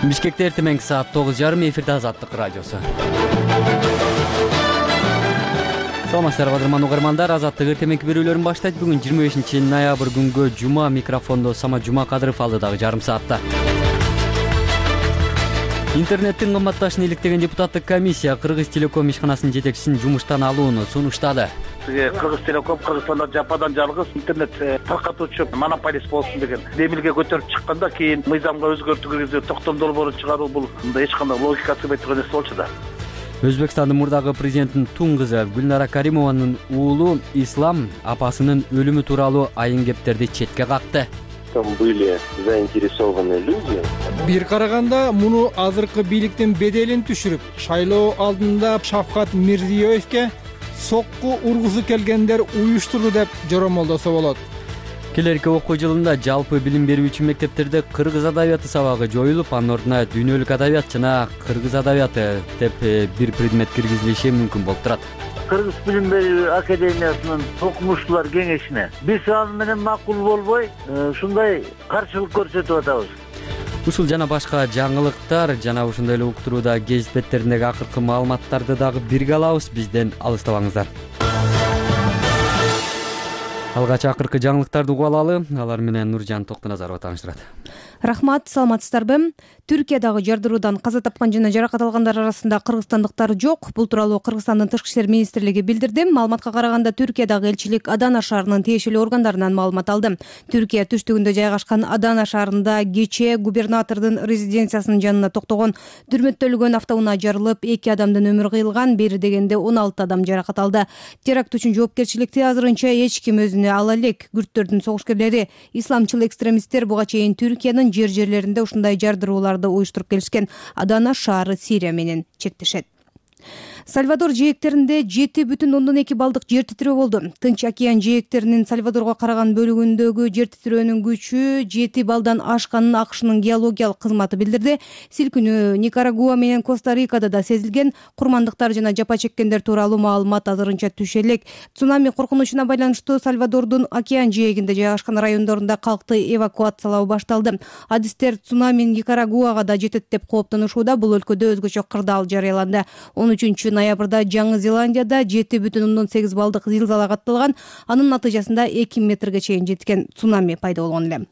Бишкекте эртең саат 9:30 эфирде Азаттык радиосу. Саламатсыздарбы кадырман угармандар, Азаттык эртеңки берүүлөрүн баштайт. Бүгүн 25-ноябрь күнгө жума, микрофондо Самат Жумакадыров алдыдагы жарым саатта. Интернеттин кымбатташын иликтеген депутаттык комиссия Кыргыз Телеком ишканасынын жетекчисин жумуштан алууну сунуштады. Кыргыз Телеком Кыргызстанда жападан жалгыз интернет таркатуучу монополист болсун деген демилге көтөрүп чыкканда кийин мыйзамга өзгөртүү киргизүү, токтом долбоорун чыгаруу бул эч кандай логикасы сыйбай турган нерсе болчу да. Өзбекстандын мурдагы президентинин тун кызы Гүлнара Каримованын уулу Ислам апасынын өлүмү тууралуу айын кептерди четке какты. Там были заинтересованы люди. Бир караганда муну азыркы бийликтин беделин түшүрүп, шайлоо алдында Шавкат Мирзиёевке сокку ургусу келгендер уюштурду деп жоромолдосо болот. Келерки окуу жылында жалпы билим берүүчү мектептерде кыргыз адабияты сабагы жоюлуп, анын ордуна дүйнөлүк адабият жана кыргыз адабияты деп бир предмет киргизилиши мүмкүн болуп турат. Кыргыз билим берүү академиясынын окумуштуулар кеңешине биз аны менен макул болбой, ушундай каршылык көрсөтүп атабыз. Ушул жана башка жаңылыктар жана ушундай эле уктурууда гезит беттериндеги акыркы маалыматтарды дагы бирге алабыз. Бизден алыстабаңыздар. Алгач акыркы жаңылыктарды угуп алалы. Алар менен Нуржан Токтоназарова тааныштырат. Рахмат, саламатсыздарбы? Түркиядагы жардыруудан каза тапкан жана жаракат алгандар арасында кыргызстандыктар жок. Бул тууралуу Кыргызстандын Тышкы иштер министрлиги билдирди. Маалыматка караганда Түркиядагы элчилик Адана шаарынын тиешелүү органдарынан маалымат алды. Түркия түштүгүндө жайгашкан Адана шаарында кечээ губернатордун резиденциясынын жанына токтогон дүрмөттөлгөн автоунаа жарылып, 2 адамдын өмүрү кыйылган, бери дегенде 16 адам жаракат алды. Теракт үчүн жоопкерчиликти азырынча эч ким өзүнө ала элек. Күрттөрдүн согушкерлери, исламчыл экстремисттер буга чейин Түркиянын жерлеринде ушундай жардырууларды уюштуруп келишкен. Адана шаары Сирия менен чектешет. Сальвадор жээктеринде 7,2 балдык жер титирөө болду. Тынч океан жээктеринин Сальвадорго караган бөлүгүндөгү жер титирөөнүн күчү 7 балдан ашканын АКШнын геологиялык кызматы билдирди. Силкинүү Никарагуа менен Коста-Рикада да сезилген. Курмандыктар жана жапа чеккендер тууралуу маалымат азырынча түшө элек. Цунами коркунучуна байланыштуу Сальвадордун океан жээгинде жайгашкан райондорунда калкты эвакуациялоо башталды. Адистер цунами Никарагуага да жетет деп кооптонушууда. Бул өлкөдө өзгөчө кырдаал жарыяланды. 13 ноябрда Жаңы Зеландияда 7,8 балдык зилзала катталган. Анын натыйжасында 2 метрге чейин жеткен цунами пайда болгон эле.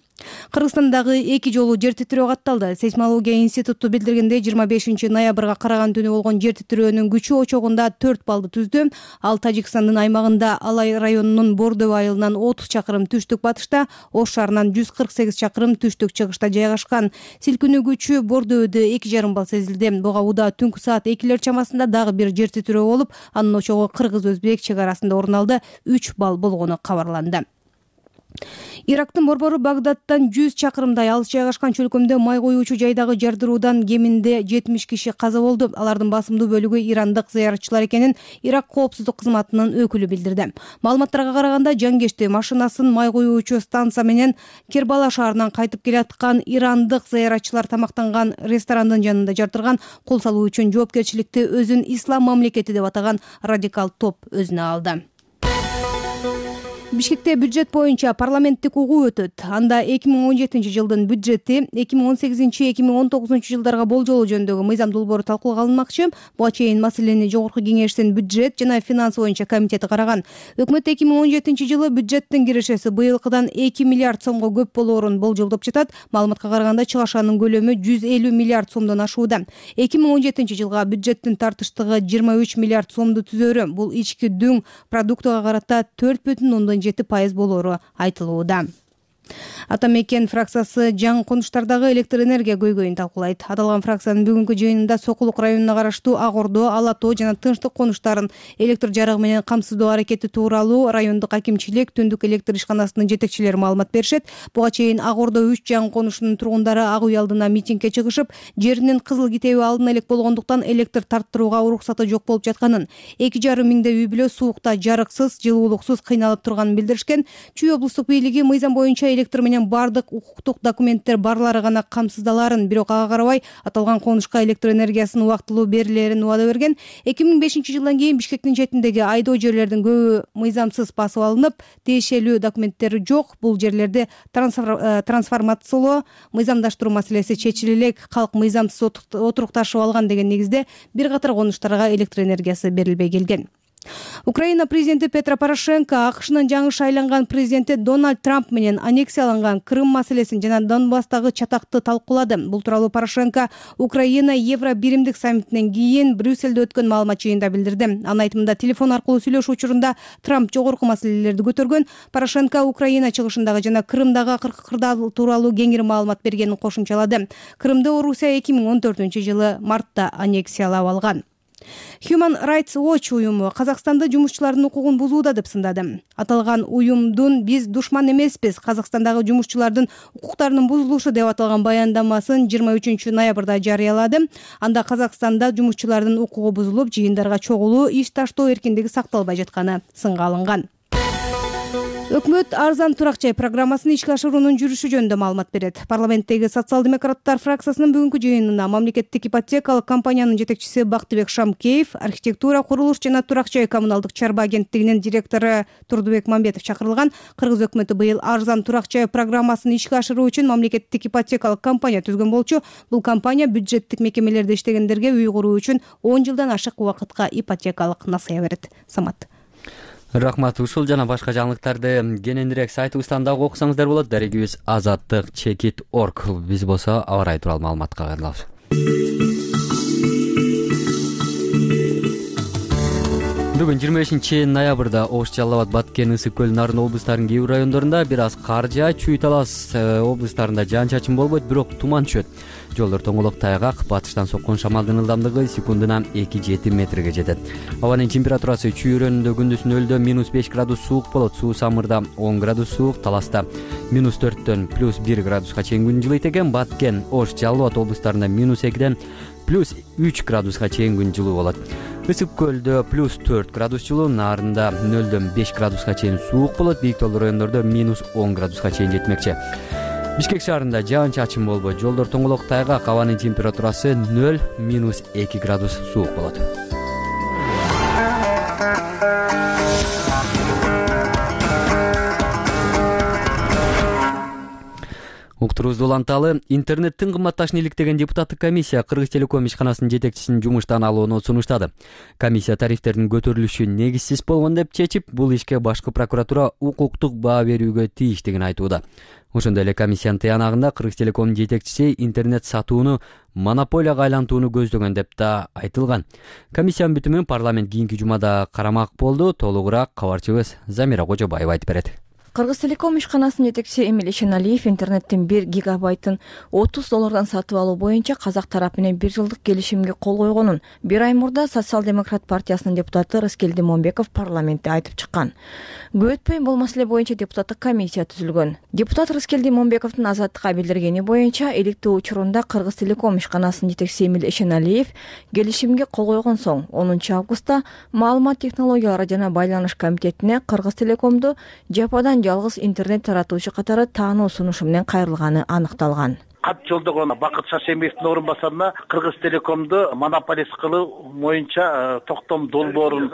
Кыргызстандагы 2 жолу жер титирөө катталды. Сейсмология институту билдиргендей 25 ноябрга караган түнү болгон жер титирөөнүн күчү очогунда 4 балды түздү. Ал Тажикстандын аймагында Алай районунун Бордо айылынан 30 чакырым түштүк батышта, Ош шаарынан 148 чакырым түштүк чыгышта жайгашкан. Силкинүү күчү Бордоодо 2,5 бал сезилди. Буга уда түнкү саат 2 чамасында дагы бир жер титирөө болуп, анын очогу Кыргыз-Өзбек чек арасында орун алды. 3 бал болгону кабарланды. Ирактын борбору Багдадтан 100 чакырымдай алыс жайгашкан чөлкөмдө май коюучу жайдагы жардыруудан кеминде 70 киши каза болду. Алардын басымдуу бөлүгү ирандык зыяратчылар экенин Ирак коопсуздук кызматынын өкүлү билдирди. Маалыматтарга караганда жангешти машинасын май коюучу станция менен Кербала шаарынан кайтып келаткан ирандык зыяратчылар тамактанган ресторандын жанында жардырган. Кол салуу үчүн жоопкерчиликти өзүн ислам мамлекети деп атаган радикал топ өзүнө алды. Бишкекте бюджет боюнча парламенттик угуу өтөт. Анда 2017 жылдын бюджети 2018-2019 жылдарга болжолу жөнүндөгү мыйзам долбоору талкууга алынмакчы. Буга чейин маселени Жогорку кеңештин бюджет жана финанс боюнча комитети караган. Өкмөт 2017 жылы бюджеттин кирешеси быйылкыдан 2 миллиард сомго көп болоорун болжолдоп жатат. Маалыматка караганда чыгашанын көлөмү 150 миллиард сомдон ашууда. 2017 жылга бюджеттин тартыштыгы 23 миллиард сомду түзөөрү. Бул ички дүң продуктуга карата 4,7% болоору айтылууда. Атамекен фракциясы жаңы конуштардагы электр энергия көйгөйүн талкуулайт. Аталган фракциянын бүгүнкү жыйынында Сокулук районуна караштуу Ак Ордо, Ала Тоо жана Тынчтык конуштарын электр жарыгы менен камсыздоо аракети тууралуу райондук акимчилик, Түндүк электр ишканасынын жетекчилери маалымат беришет. Буга чейин Ак Ордо 3 жаңы конушунун тургундары Ак үй алдына митингге чыгышып, жеринин кызыл китеби алына элек болгондуктан электр тарттырууга уруксаты жок болуп жатканын, 2,5 миңдей үй бүлө суукта жарыксыз, жылуулуксуз кыйналып турганын билдиришкен. Чүй облустук бийлиги мыйзам боюнча электр менен бардык укуктук документтер барлары гана камсыздаларын, бирок ага карабай аталган конушка электр энергиясынын убактылуу берилерин убада берген. 2005 жылдан кийин Бишкектин четиндеги айдоо жерлердин көбү мыйзамсыз басып алынып, тиешелүү документтери жок. Бул жерлерди трансформациялоо, мыйзамдаштыруу маселеси чечиле элек, калк мыйзамсыз отурукташып алган деген негизде бир катар конуштарга электр энергиясы берилбей келген. Украина президенти Петро Порошенко АКШнын жаңы шайланган президенти Дональд Трамп менен аннексияланган Крым маселесин жана Донбасстагы чатакты талкуулады. Бул тууралуу Порошенко Украина Евро биримдик саммитинен кийин Брюссельде өткөн маалымат жыйынында билдирди. Анын айтымында телефон аркылуу сүйлөшүү учурунда Трамп жогорку маселелерди көтөргөн. Порошенко Украина чыгышындагы жана Крымдагы акыркы кырдаал тууралуу кеңири маалымат бергенин кошумчалады. Крымды Орусия 2014-жылы мартта аннексиялап алган. Human Rights Watch уюму Казакстанда жумушчулардын укугун бузууда деп сындады. Аталган уюмдун "Биз душман эмеспиз, Казакстандагы жумушчулардын укуктарынын бузулушу" деп аталган баяндамасын 23 ноябрда жарыялады. Анда Казакстанда жумушчулардын укугу бузулуп, жыйындарга чогулуу, иш таштоо эркиндиги сакталбай жатканы сынга алынган. Өкмөт арзан турак жай программасын ишке ашыруунун жүрүшү жөнүндө маалымат берет. Парламенттеги социал-демократтар фракциясынын бүгүнкү жыйынына мамлекеттик ипотекалык компаниянын жетекчиси Бактыбек Шамкеев, архитектура, курулуш жана турак жай коммуналдык чарба агенттигинин директору Турдубек Мамбетов чакырылган. Кыргыз өкмөтү быйыл арзан турак жай программасын ишке ашыруу үчүн мамлекеттик ипотекалык компания түзгөн болчу. Бул компания бюджеттик мекемелерде иштегендерге үй куруу үчүн 10 жылдан ашык убакытка ипотекалык насыя берет. Самат. Рахмат. Ушул жана башка жаңылыктарды кененирээк сайтыбыздан дагы окусаңыздар болот. Дарегибиз azаттык.org. Биз болсо аба ырайы тууралуу маалыматка кайрылабыз. Бүгүн 25 ноябрда Ош, Жалал Абад, Баткен, Ысык көл, Нарын облустарынын кээ бир райондорунда бир аз кар жаат, Чүй, Талас облустарында жаан-чачын болбойт, бирок туман түшөт. Жолдор тоңолок, тайгак, батыштан соккон шамалдын ылдамдыгы секундуна 2-7 метрге жетет. Абанын температурасы Чүй районунда күндүз нөлдөн -5 градус суук болот, Суу Самырда 10 градус суук, Таласта -4дөн +1 градуска чейин күн жылыйт экен. Баткен, Ош, Жалал Абад облустарында -2ден +3 градуска чейин күн жылуу болот. Ысык көлдө +4 градус жылуу, Нарында 0дөн 5 градуска чейин суук болот, бийик тоолуу райондордо -10 градуска чейин жетмекчи. Бишкек шаарында жаан-чачын болбойт, жолдор тоңолок, тайгак, абанын температурасы 0-2 градус суук болот. Уктуруубузду уланталы. Интернеттин кымбатташын иликтеген депутаттык комиссия Кыргыз Телеком ишканасынын жетекчисин жумуштан алууну сунуштады. Комиссия тарифтердин көтөрүлүшү негизсиз болгон деп чечип, бул ишке башкы прокуратура укуктук баа берүүгө тийиштигин айтууда. Ошондой эле комиссиянын тыянагында Кыргыз Телекомдун жетекчиси интернет сатууну монополияга айлантууну көздөгөн деп да айтылган. Комиссиянын бүтүмүн парламент кийинки жумада карамак болду. Толугураак кабарчыбыз Замира Кожобаева айтып берет. Кыргыз Телеком ишканасынын жетекчиси Эмиль Ишеналиев интернеттин 1 гигабайтын $30 сатып алуу боюнча казак тарап менен 1 жылдык келишимге кол койгонун 1 ай мурда Социал-демократ партиясынын депутаты Рыскелди Момбеков парламентте айтып чыккан. Көп өтпөй бул маселе боюнча депутаттык комиссия түзүлгөн. Депутат Рыскелди Момбековдун Азаттыкка билдиргени боюнча иликтөө учурунда Кыргыз Телеком ишканасынын жетекчиси Эмиль Ишеналиев келишимге кол койгон соң 10 августта маалымат технологиялары жана байланыш комитетине Кыргыз Телекомду жападан жалгыз интернет таратуучу катары таануу сунушу менен кайрылганы аныкталган. Кат жолдогон Бакыт Шашембиевдин орун басарына Кыргыз Телекомду монополист кылуу боюнча токтом долбоорун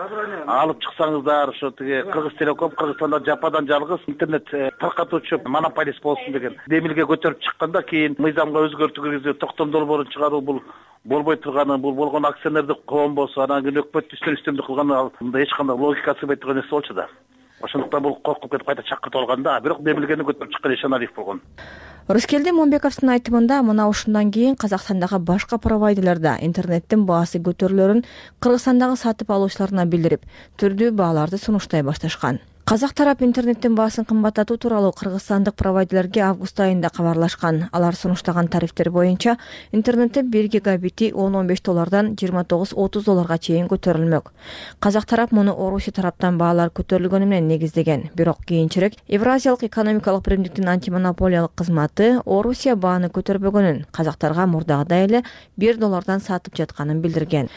алып чыксаңыздар, ошо тиги Кыргыз Телеком Кыргызстанда жападан жалгыз интернет таркатуучу монополист болсун деген демилге көтөрүп чыкканда, кийин мыйзамга өзгөртүү киргизип токтом долбоорун чыгаруу бул болбой турганы, бул болгон акционердик коом болсо, анан кийин өкмөттү үстөмдүк кылганы мындай эч кандай логикасы болбой турган нерсе болчу да. Ошондуктан бул коркуп кетип кайта чакыртып алганда, бирок демилгени көтөрүп чыккан Ишеналиев болгон. Рыскелди Момбековдун айтымында мына ушундан кийин Казакстандагы башка провайдерлерде интернеттин баасы көтөрүлөрүн Кыргызстандагы сатып алуучуларына билдирип, түрдүү бааларды сунуштай башташкан. Казак тарап интернеттин баасын кымбаттатуу тууралуу кыргызстандык провайдерлерге август айында кабарлашкан. Алар сунуштаган тарифтер боюнча интернеттин 1 гигабити $15 $29-30 чейин көтөрүлмөк. Казак тарап муну Орусия тараптан баалар көтөрүлгөнү менен негиздеген. Бирок кийинчерээк Евразиялык экономикалык биримдиктин антимонополиялык кызматы Орусия бааны көтөрбөгөнүн, казактарга мурдагыдай эле $1 сатып жатканын билдирген.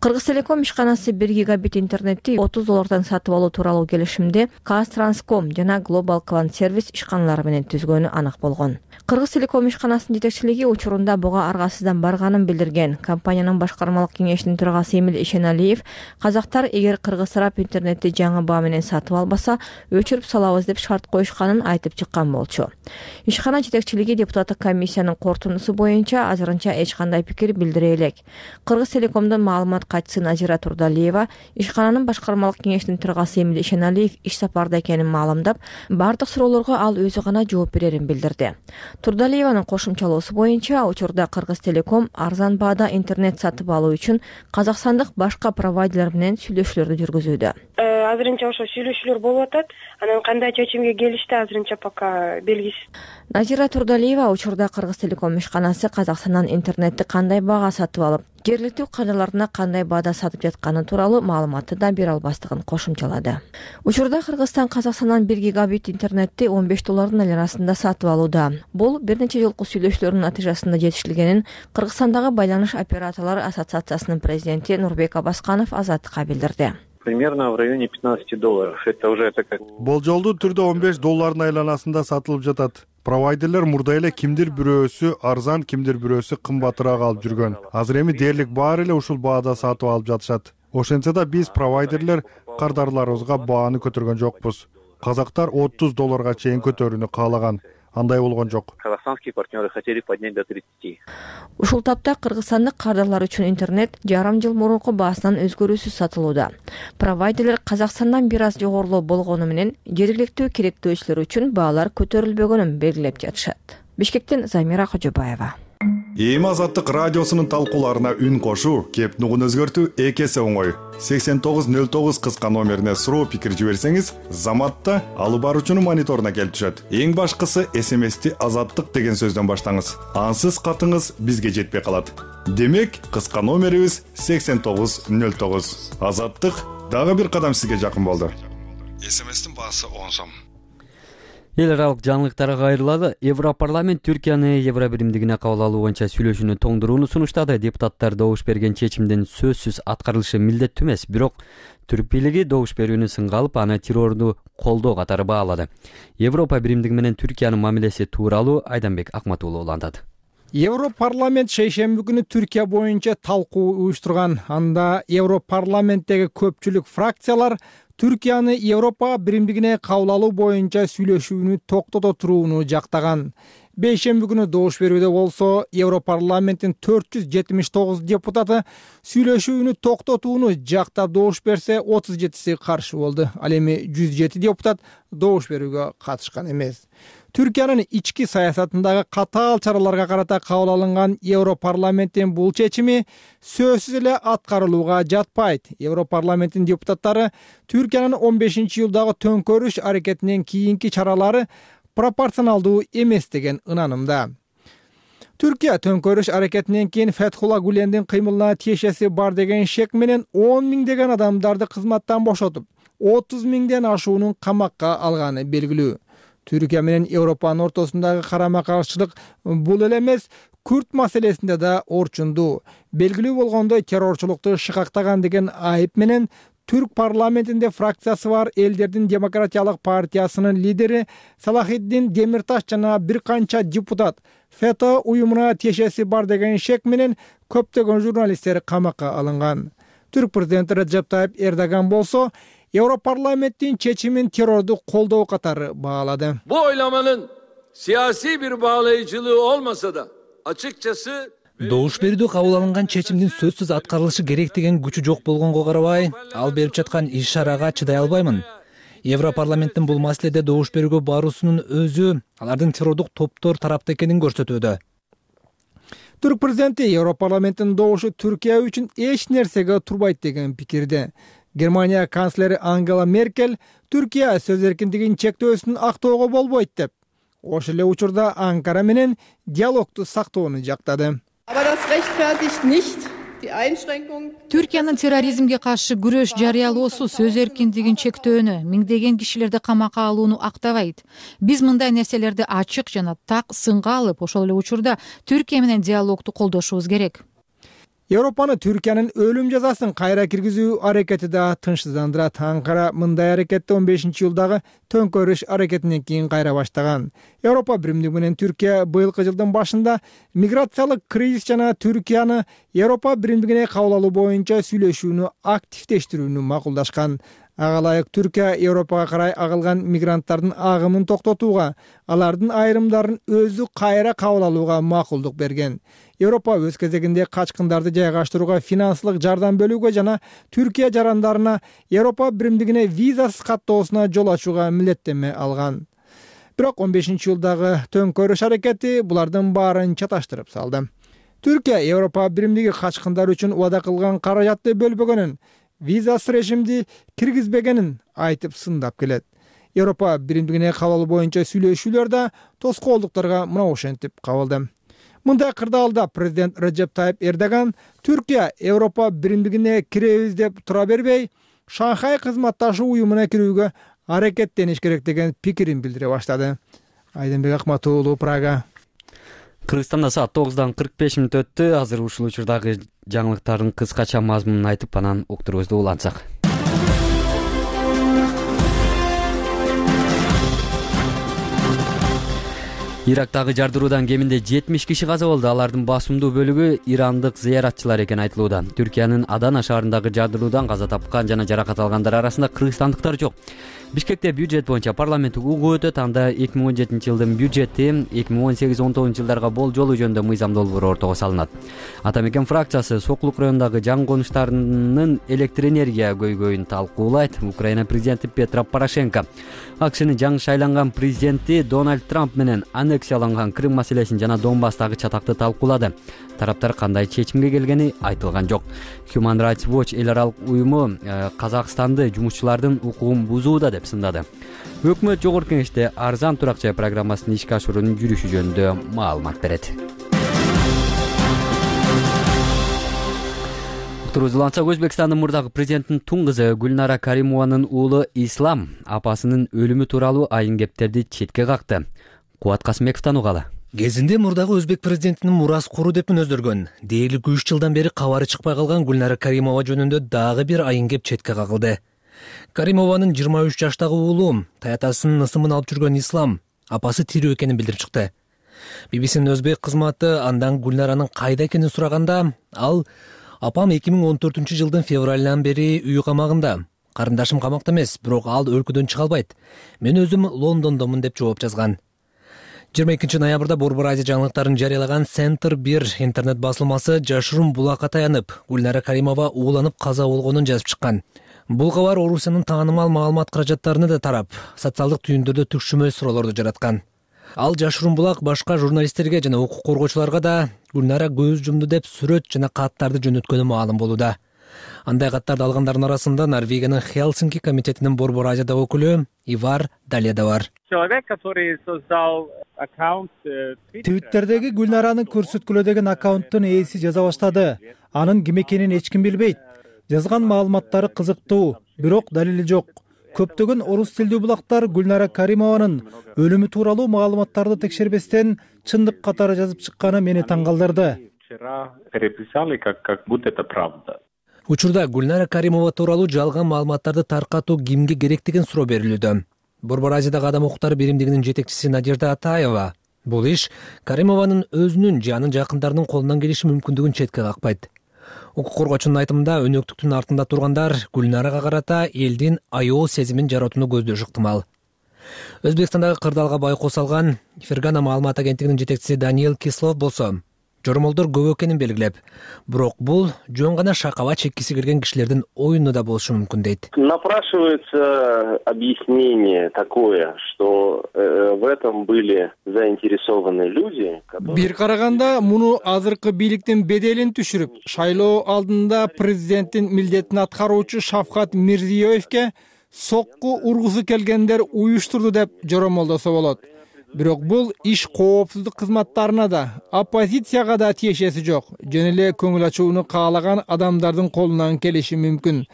Кыргыз Телеком ишканасы 1 гигабит интернетти $30 сатып алуу тууралуу келишимде Казтранском жана Global Clan Service ишканалары менен түзгөнү анак болгон. Кыргыз Телеком ишканасынын жетекчилиги учурунда буга аргасыздан барганын билдирген. Компаниянын башкармалык кеңешинин төрагасы Эмил Ишеналиев казактар эгер Кыргыз тарап интернетти жаңы баа менен сатып албаса, өчүрүп салабыз деп шарт коюшканын айтып чыккан болчу. Ишкана жетекчилиги депутаттык комиссиянын корутундусу боюнча азырынча эч кандай пикир билдире элек. Кыргыз Телекомдун маалымат катчысы Назира Турдалиева ишкананын башкармалык кеңешинин төрагасы Эмил Ишеналиев иш сапарда экенин маалымдап, бардык суроолорго ал өзү гана жооп берерин билдирди. Турдалиеванын кошумчалоосу боюнча, учурда Кыргыз Телеком арзан баада интернет сатып алуу үчүн казакстандык башка провайдерлер менен сүйлөшүүлөрдү жүргүзүүдө. Азырынча ошо сүйлөшүүлөр болуп атат. Анан кандай чечимге келишти азырынча пока белгисиз. Назира Турдалиева учурда Кыргыз Телеком ишканасы Казакстандан интернетти кандай баага сатып алып, жергиликтүү кадрларына кандай баада сатып жатканы тууралуу маалыматты да бере албастыгын кошумчалады. Учурда Кыргызстан Казакстандан 1 гигабит интернетти $15 айланасында сатып алууда. Бул бир нече жолку сүйлөшүүлөрдүн натыйжасында жетишилгенин Кыргызстандагы байланыш операторлору ассоциациясынын президенти Нурбек Абасканов Азаттыкка билдирди. Примерно в районе $15. Это уже такая... Болжолдуу түрдө $15 айланасында сатылып жатат. Провайдерлер мурда эле кимдир бирөөсү арзан, кимдир бирөөсү кымбатыраак алып жүргөн. Азыр эми дээрлик баары эле ушул баада сатып алып жатышат. Ошентсе да биз провайдерлер кардарларыбызга бааны көтөргөн жокпуз. Казактар $30 чейин көтөрүүнү каалаган. Андай болгон жок. Казахстанские партнеры хотели поднять до 30. Ушул тапта кыргызстандык кардарлар үчүн интернет жарым жыл мурунку баасынан өзгөрүүсүз сатылууда. Провайдерлер Казакстандан бир аз жогорулоо болгону менен жергиликтүү керектөөчүлөр үчүн баалар көтөрүлбөгөнүн белгилеп жатышат. Бишкектен Замира Кожобаева. Эми Азаттык радиосунун талкууларына үн кошуу, кеп нугун өзгөртүү эки эсе оңой. 8909 кыска номерине суроо пикир жиберсеңиз, Заматта алып баруучунун мониторуна келип түшөт. Эң башкысы СМСти Азаттык деген сөздөн баштаңыз. Ансыз катыңыз бизге жетпей калат. Демек, кыска номерибиз 8909. Азаттык дагы бир кадам сизге жакын болду. СМСтин баасы 10 сом. Эл аралык жаңылыктарга кайрылалы. Европарламент Түркияны Евро биримдигине кабыл алуу боюнча сүйлөшүүнү тоңдурууну сунуштады. Депутаттар добуш берген чечимдин сөзсүз аткарылышы милдеттүү эмес, бирок түрк бийлиги добуш берүүнү сынга алып, аны террорду колдоо катары баалады. Европа биримдиги менен Түркиянын мамилеси тууралуу Айданбек Акмат уулу улантат. Европарламент шейшемби күнү Түркия боюнча талкуу уюштурган. Анда Европарламенттеги көпчүлүк фракциялар Түркияны Европа биримдигине кабыл алуу боюнча сүйлөшүүнү токтото турууну жактаган. Бейшемби күнү добуш берүүдө болсо, Европарламенттин 479 депутаты сүйлөшүүнү токтотууну жактап добуш берсе, 37си каршы болду. Ал эми 107 депутат добуш берүүгө катышкан эмес. Түркиянын ички саясатындагы катаал чараларга карата кабыл алынган Европарламенттин бул чечими сөзсүз эле аткарылууга жатпайт. Европарламенттин депутаттары Түркиянын 15-июлдагы төңкөрүш аракетинен кийинки чаралары пропорционалдуу эмес деген ынанымда. Түркия төңкөрүш аракетинен кийин Фетхулла Гулендин кыймылына тиешеси бар деген шек менен 10 миңдеген адамдарды кызматтан бошотуп, 30 миңден ашуунун камакка алганы белгилүү. Түркия менен Европанын ортосундагы карама-каршылык бул эле эмес, Күрд маселесинде да орчундуу. Белгилүү болгондой террорчулукту шыкактаган деген айып менен Түрк парламентинде фракциясы бар Элдердин демократиялык партиясынын лидери Салахиддин Демирташ жана бир канча депутат ФЭТÖ уюмуна тиешеси бар деген шек менен көптөгөн журналисттер камакка алынган. Түрк президенти Реджеп Тайип Эрдоган болсо Европарламенттин чечимин террорду колдоо катары баалады. Bu oylamanın siyasi bir bağlayıcılığı olmasa da açıkçası Добуш берүүдө кабыл алынган чечимдин сөзсүз аткарылышы керек деген күчү жок болгонго карабай, ал берип жаткан иш-чарага чыдай албаймын. Европарламенттин бул маселеде добуш берүүгө баруусунун өзү алардын террордук топтор тарапта экенин көрсөтүүдө. Түрк президенти Европарламенттин добушу Түркия үчүн эч нерсеге турбайт деген пикирде. Германия канцлери Ангела Меркель Түркия сөз эркиндигин чектөөсүн актоого болбойт деп, ошол эле учурда Анкара менен диалогду сактоону жактады. Түркиянын терроризмге каршы күрөш жарыялоосу сөз эркиндигин чектөөнү, миңдеген кишилерди камакка алууну актабайт. Биз мындай нерселерди ачык жана так сынга алып, ошол эле учурда Түркия менен диалогду колдошубуз керек. Европаны Түркиянын өлүм жазасын кайра киргизүү аракети да тынчсыздандырат. Анкара мындай аракетти 15-жылдагы төңкөрүш аракетинен кийин кайра баштаган. Европа биримдиги менен Түркия быйылкы жылдын башында миграциялык кризис жана Түркияны Европа биримдигине кабыл алуу боюнча сүйлөшүүнү активдештирүүнү макулдашкан. Ага ылайык Түркия Европага карай агылган мигранттардын агымын токтотууга, алардын айрымдарын өзү кайра кабыл алууга макулдук берген. Европа өз кезегинде качкындарды жайгаштырууга финансылык жардам бөлүүгө жана Түркия жарандарына Европа биримдигине визасыз каттоосуна жол ачууга милдеттенме алган. Бирок 15-жылдагы төңкөрүш аракети булардын баарын чаташтырып салды. Түркия Европа биримдиги качкындар үчүн убада кылган каражатты бөлбөгөнүн, визасыз режимди киргизбегенин айтып сындап келет. Европа биримдигине кабыл алуу боюнча сүйлөшүүлөр да тоскоолдуктарга мына ошентип кабылды. Мындай кырдаалда президент Реджеп Тайип Эрдоган Түркия Европа биримдигине киребиз деп тура бербей, Шанхай кызматташуу уюмуна кирүүгө аракеттениш керек деген пикирин билдире баштады. Айдынбек Акматуулу, Прага. Кыргызстанда саат 9:45 өттү. Азыр ушул учурдагы жаңылыктардын кыскача мазмунун айтып анан уктурубузду улантсак. Ирактагы жардыруудан кеминде 70 киши каза болду. Алардын басымдуу бөлүгү ирандык зыяратчылар экени айтылууда. Түркиянын Адана шаарындагы жардыруудан каза тапкан жана жаракат алгандар арасында кыргызстандыктар жок. Бишкекте бюджет боюнча парламенттик угуу өтөт. Анда 2017 жылдын бюджети 2018-19 жылдарга болжолу жөнүндө мыйзам долбоору ортого салынат. Атамекен фракциясы Сокулук районундагы жаңы конуштарынын электр энергия көйгөйүн талкуулайт. Украина президенти Петро Порошенко АКШнын жаңы шайланган президенти Дональд Трамп менен аннексияланган Крым маселесин жана Донбасстагы чатакты талкуулады. Тараптар кандай чечимге келгени айтылган жок. Human Rights Watch эл аралык уюму Казакстанды жумушчулардын укугун бузууда деп сындады. Өкмөт жогорку кеңеште арзан турак жай программасынын ишке ашуурунун жүрүшү жөнүндө маалымат берет. Турузуланса Өзбекстандын мурдагы президентинин тун кызы Гүлнара Каримованын уулу Ислам апасынын өлүмү тууралуу айын кептерди четке какты. Кубат Касымбековдон угалы. Кезинде мурдагы өзбек президентинин мурас куру деп мүнөздөргөн, дээрлик 3 жылдан бери кабары чыкпай калган Гүлнара Каримова жөнүндө дагы бир айын кеп четке какылды. Каримованын 23 жаштагы уулу таятасынын ысымын алып жүргөн Ислам апасы тирүү экенин билдирип чыкты. BBC'нин өзбек кызматы андан Гүлнаранын кайда экенин сураганда, ал апам 2014 жылдын февралынан бери үй камагында. Карындашым камакта эмес, бирок ал өлкөдөн чыга албайт. Мен өзүм Лондондомун деп жооп жазган. 22 ноябрда Борбор Азия жаңылыктарын жарыялаган Центр 1 интернет басылмасы жашыруун булакка таянып, Гүлнара Каримова ууланып каза болгонун жазып чыккан. Бул кабар Орусиянын таанымал маалымат каражаттарына да тарап, социалдык түйүндөрдө түкшүмөл суроолорду жараткан. Ал жашыруун булак башка журналисттерге жана укук коргоочуларга да Гүлнара көз жумду деп сүрөт жана каттарды жөнөткөнү маалым болууда. Андай каттарды алгандардын арасында Норвегиянын Хелсинки комитетинин Борбор Азияда өкүлү Ивар Далия да бар. Человек, который создал аккаунт Твиттердеги Гүлнаранын көрсөткүлө деген аккаунттун ээси жаза баштады. Анын ким экенин эч ким билбейт. Жазган маалыматтары кызыктуу, бирок далили жок. Көптөгөн орус тилдүү булактар Гүлнара Каримованын өлүмү тууралуу маалыматтарды текшербестен чындык катары жазып чыкканы мени таң калтырды. Учурда Гүлнара Каримова тууралуу жалган маалыматтарды таркатуу кимге керек деген суроо берилүүдө. Борбор Азиядагы адам укуктары биримдигинин жетекчиси Надежда Атаева бул иш Каримованын өзүнүн же анын жакындарынын колунан келиши мүмкүндүгүн четке какпайт. Укук коргоочунун айтымында өнөктүктүн артында тургандар Гүлнарага карата элдин аял сезимин жаратууну көздөшү ыктымал. Өзбекстандагы кырдаалга байкоо салган Фергана маалымат агенттигинин жетекчиси Даниэл Кислов болсо, жоромолдор көп экенин белгилеп, бирок бул жөн гана шакаба чеккиси келген кишилердин оюну да болушу мүмкүн дейт. Напрашивается объяснение такое, что в этом были заинтересованы люди. Бир караганда муну азыркы бийликтин беделин түшүрүп, шайлоо алдында президенттин милдетин аткаруучу Шавкат Мирзиёевке сокку ургусу келгендер уюштурду деп жоромолдосо болот. Бирок бул иш коопсуздук кызматтарына да, оппозицияга да тиешеси жок. Жөн эле көңүл ачууну каалаган адамдардын колунан келиши мүмкүн.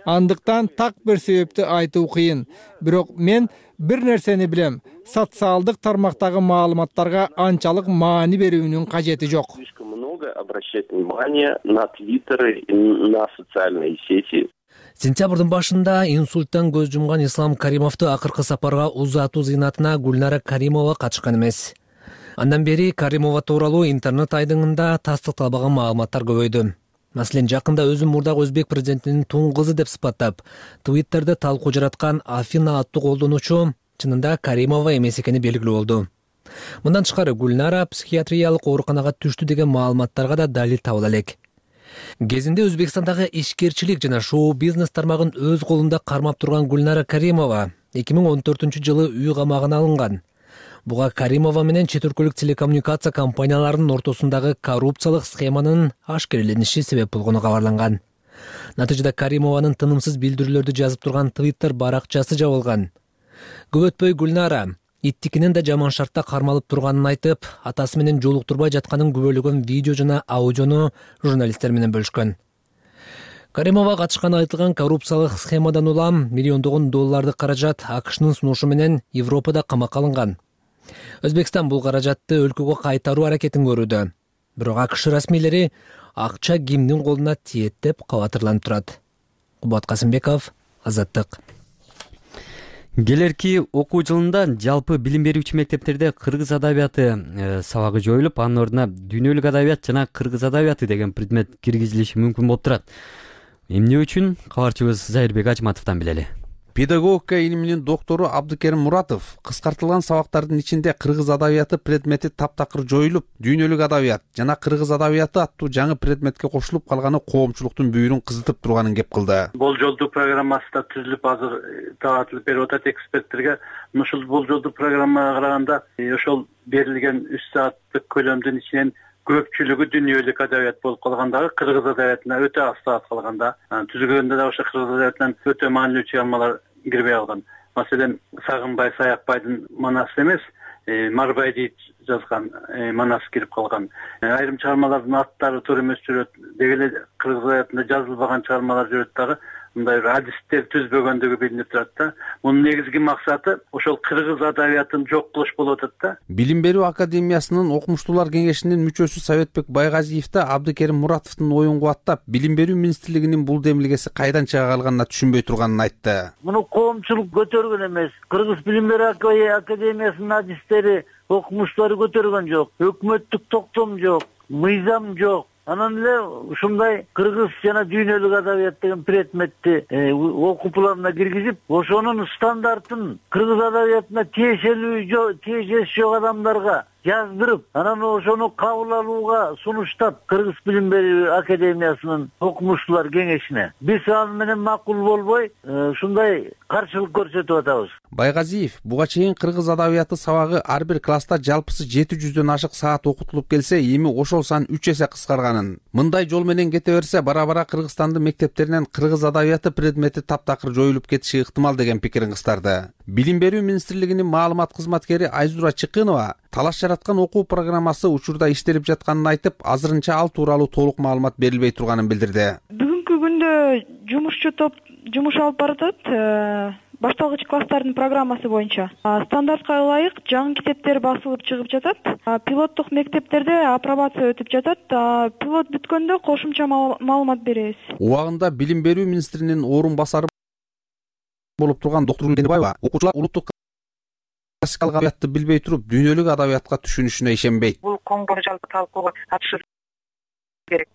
Андыктан так бир себепти айтуу кыйын. Бирок мен бир нерсени билем. Социалдык тармактагы маалыматтарга анчалык маани берүүнүн кажети жок. много обращать внимание на твиттеры и на социальные сети. Сентябрдын башында инсульттан көз жумган Ислам Каримовду акыркы сапарга узатуу зыйнатына Гүлнара Каримова катышкан эмес. Андан бери Каримова тууралуу интернет айдыңында тастыкталбаган маалыматтар көбөйдү. Маселен, жакында өзүн мурдагы өзбек президентинин туң кызы деп сыпаттап, Твиттерде талкуу жараткан Афина аттуу колдонуучу чынында Каримова эмес экени белгилүү болду. Мындан тышкары Гүлнара психиатриялык ооруканага түштү деген маалыматтарга да далил табыла элек. Кезинде Өзбекстандагы ишкерчилик жана шоу-бизнес тармагын өз колунда кармап турган Гүлнара Каримова 2014-жылы үй камагына алынган. Буга Каримова менен чет өлкөлүк телекоммуникация компанияларынын ортосундагы коррупциялык схеманын ашкерелениши себеп болгону кабарланган. Натыйжада Каримованын тынымсыз билдирүүлөрдү жазып турган Twitter баракчасы жабылган. Көп өтпөй Гүлнара иттикинен да жаман шартта кармалып турганын айтып, атасы менен жолуктурбай жатканын күбөлөгөн видео жана аудиону журналисттер менен бөлүшкөн. Каримова катышканы айтылган коррупциялык схемадан улам миллиондогон долларды каражат АКШнын сунушу менен Европада камакка алынган. Өзбекстан бул каражатты өлкөгө кайтаруу аракетин көрүүдө. Бирок АКШ расмийлери акча кимдин колуна тиет деп кабатырланып турат. Кубат Касымбеков, Азаттык. Келерки окуу жылында жалпы билим берүүчү мектептерде кыргыз адабияты сабагы жоюлуп, анын ордуна дүйнөлүк адабият жана кыргыз адабияты деген предмет киргизилиши мүмкүн болуп турат. Эмне үчүн? Кабарчыбыз Зайырбек Ачматовдон билели. Педагогика илиминин доктору Абдыкерим Муратов кыскартылган сабактардын ичинде кыргыз адабияты предмети таптакыр жоюлуп, дүйнөлүк адабият жана кыргыз адабияты аттуу жаңы предметке кошулуп калганы коомчулуктун бүйүрүн кызытып турганын кеп кылды. Болжолдуу программасы да түзүлүп азыр таратылып берип атат эксперттерге. Ушул болжолдуу программага караганда ошол берилген 3 сааттык көлөмдүн ичинен көпчүлүгү дүйнөлүк адабият болуп калгандагы кыргыз адабиятына өтө аз саат калганда, түзүлгөндө да ошо кыргыз адабиятынан өтө маанилүү чыгармалар кирбей калган. Маселен, Сагынбай Саякбайдын Манасы эмес, Марбайди жазган Манасы кирип калган. Айрым чыгармалардын аттары туура эмес жүрөт. Деги эле кыргыз адабиятында жазылбаган чыгармалар жүрөт дагы. Мындай бир адистер түзбөгөндүгү билинип турат да. Мунун негизги максаты ошол кыргыз адабиятын жок кылыш болуп атат да. Билим берүү академиясынын окумуштуулар кеңешинин мүчөсү Советбек Байгазиев да Абдыкерим Муратовдун оюн кубаттап, билим берүү министрлигинин бул демилгеси кайдан чыга калганына түшүнбөй турганын айтты. Муну коомчулук көтөргөн эмес. Кыргыз билим берүү академиясынын адистери, окумуштуулары көтөргөн жок. Өкмөттүк токтом жок, мыйзам жок. Анан эле ушундай кыргыз жана дүйнөлүк адабият деген предметти окупларына киргизип, ошонун стандартын кыргыз адабиятына тиешеси жок адамдарга жаздырып, анан ошону кабыл алууга сунуштап Кыргыз билим берүү академиясынын окумуштуулар кеңешине. Биз аны менен макул болбой, ушундай каршылык көрсөтүп атабыз. Байгазиев буга чейин кыргыз адабияты сабагы ар бир класста жалпысы 700дөн ашык саат окутулуп келсе, эми ошол сан 3 эсе кыскарганын. Мындай жол менен кете берсе, бара-бара Кыргызстандын мектептеринен кыргыз адабияты предмети таптакыр жоюлуп кетиши ыктымал деген пикирин кыстарды. Билим берүү министрлигинин маалымат кызматкери Айзура Чыкынова талаш жараткан окуу программасы учурда иштелип жатканын айтып, азырынча ал тууралуу толук маалымат берилбей турганын билдирди. Бүгүнкү күндө жумушчу топ жумуш алып баратат. Башталгыч класстардын программасы боюнча стандартка ылайык жаңы китептер басылып чыгып жатат. Пилоттук мектептерде апробация өтүп жатат. Пилот бүткөндө кошумча маалымат беребиз. Убагында билим берүү министринин орун басары болуп турган доктор Гүлнебаева окуучулар улуттук классикалык адабиятты билбей туруп, дүйнөлүк адабиятка түшүнүшүнө ишенбейт. Бул коңгур жалпы талкууга катышуу керек.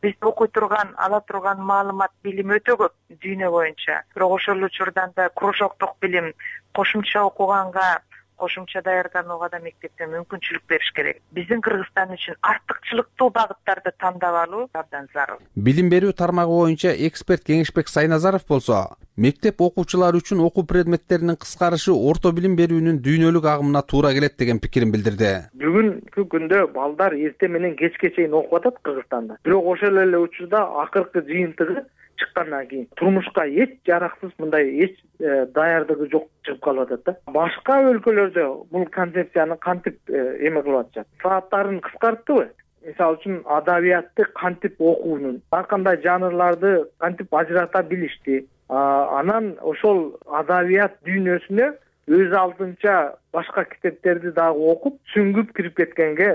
Биз окуй турган, ала турган маалымат билим өтө көп дүйнө боюнча. Бирок ошол учурдан да кружоктук билим, кошумча окуганга, кошумча даярданууга да мектепте мүмкүнчүлүк бериш керек. Биздин Кыргызстан үчүн артыкчылыктуу багыттарды тандап алуу абдан зарыл. Билим берүү тармагы боюнча эксперт Кеңешбек Сайназаров болсо, мектеп окуучулары үчүн окуу предметтеринин кыскарышы орто билим берүүнүн дүйнөлүк агымына туура келет деген пикирин билдирди. Бүгүнкү күндө балдар эрте менен кечке чейин окуп атат Кыргызстанда. Бирок ошол эле учурда акыркы жыйынтыгы чыккандан кийин турмушка эч жараксыз, мындай эч даярдыгы жок чыгып калып атат да. Башка өлкөлөрдө бул концепцияны кантип эме кылып атышат? Сааттарын кыскарттыбы? Мисалы үчүн адабиятты кантип окуунун, ар кандай жанрларды кантип ажырата билишти. Анан ошол адабият дүйнөсүнө өз алдынча башка китептерди дагы окуп сүңгүп кирип кеткенге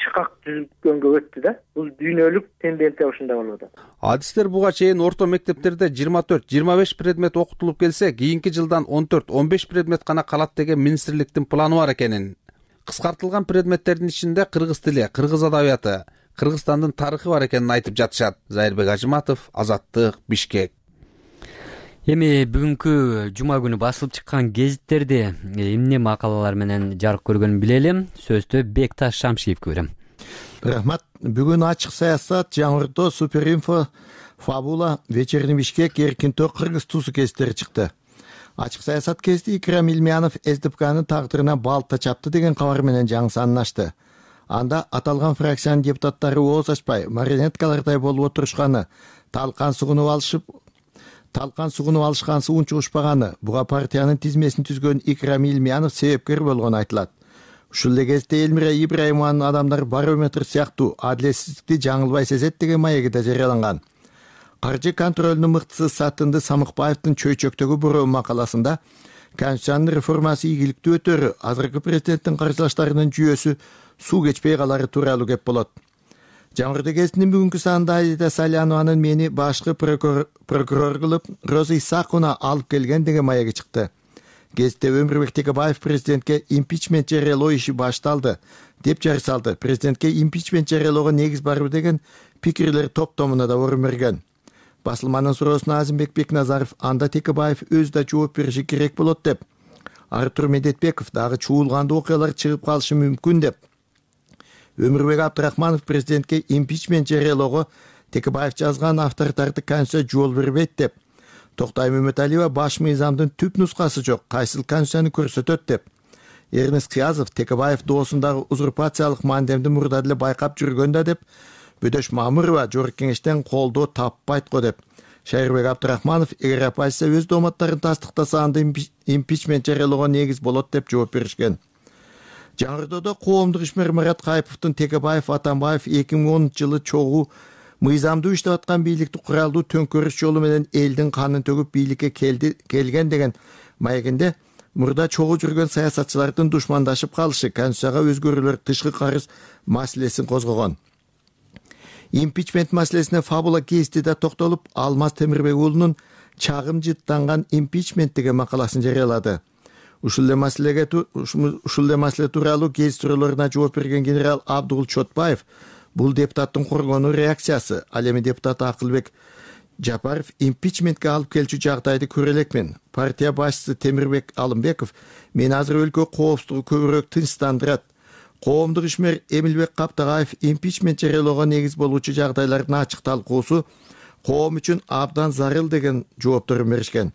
шыкак түзүлгөнгө өттү да. Бул дүйнөлүк тенденция ушундай болуп атат. Адистер буга чейин орто мектептерде 24-25 предмет окутулуп келсе, кийинки жылдан 14-15 предмет гана калат деген министрликтин планы бар экенин. Кыскартылган предметтердин ичинде кыргыз тили, кыргыз адабияты, Кыргызстандын тарыхы бар экенин айтып жатышат. Зайырбек Ажыматов, Азаттык, Бишкек. Эми бүгүнкү жума күнү басылып чыккан гезиттерди эмне макалалар менен жарык көргөнүн билели. Сөздү Бекташ Шамшиевке берем. Рахмат. Бүгүн ачык саясат, Жаңыртоо, Суперинфо, Фабула, Вечерний Бишкек, Эркинтоо, Кыргыз Тусу гезиттери чыкты. Ачык саясат гезити Икрам Илмиянов СДПКнын тагдырына балта чапты деген кабар менен жаңы санын ачты. Анда аталган фракциянын депутаттары ооз ачпай, марионеткалардай болуп отурушканы, талкан сугунуп алышкансыз унчугушпаганы, буга партиянын тизмесин түзгөн Икрам Илмиянов себепкер болгону айтылат. Ушул эле кезде Элмира Ибраимованын адамдар барометр сыяктуу адилетсиздикти жаңылбай сезет деген маеги да жарыяланган. Каржы контролунун мыктысы Сатынды Самыкбаевдин чөйчөктөгү буруу макаласында Конституциянын реформасы ийгиликтүү өтөрү, азыркы президенттин каржылаштарынын жүйөсү суу кечпей калары тууралуу кеп болот. Жаңыртоо гезитинин бүгүнкү санында Аида Салянованын мени башкы прокурор кылып Роза Исаковна алып келген деген маеги чыкты. Гезитте Өмүрбек Текебаев президентке импичмент жарыялоо иши башталды деп жар салды. Президентке импичмент жарыялоого негиз барбы деген пикирлер топтомуна да орун берген. Басылманын суроосуна Азимбек Бекназаров анда Текебаев өзү да жооп бериши керек болот деп. Артур Медетбеков дагы чуулгандуу окуялар чыгып калышы мүмкүн деп. Өмүрбек Абдрахманов президентке импичмент жарыялоого Текебаев жазган авторитардык конституция жол бербейт деп. Токтай Мөмөталиева баш мыйзамдын түп нускасы жок, кайсыл конституцияны көрсөтөт деп. Эрнест Кыязов Текебаев доосундагы узурпациялык мандемди мурда деле байкап жүргөн да деп. Бөдөш Мамырова Жогорку кеңештен колдоо таппайт го деп. Шайырбек Абдрахманов эгер оппозиция өз дооматтарын тастыктаса анда импичмент жарыялоого негиз болот деп жооп беришкен. Жаңыртоодо коомдук ишмер Марат Кайповдун Текебаев Атамбаев 2010 жылы чогуу мыйзамдуу иштеп аткан бийликти куралдуу төңкөрүш жолу менен элдин канын төгүп бийликке келген деген маегинде мурда чогуу жүргөн саясатчылардын душмандашып калышы, конституцияга өзгөрүүлөр, тышкы карыз маселесин козгогон. Импичмент маселесине Фабула гезити да токтолуп, Алмаз Темирбек уулунун чагым жыттанган импичмент деген макаласын жарыялады. Ушул эле маселе тууралуу гезит суроолоруна жооп берген генерал Абдугул Чотбаев бул депутаттын коргонуу реакциясы. Ал эми депутат Акылбек Жапаров импичментке алып келчү жагдайды көрө элекмин. Партия башчысы Темирбек Алымбеков мен азыр өлкө коопсуздугу көбүрөөк тынчтандырат. Коомдук ишмер Эмилбек Каптагаев импичмент жарыялоого негиз болуучу жагдайлардын ачык талкуусу коом үчүн абдан зарыл деген жоопторун беришкен.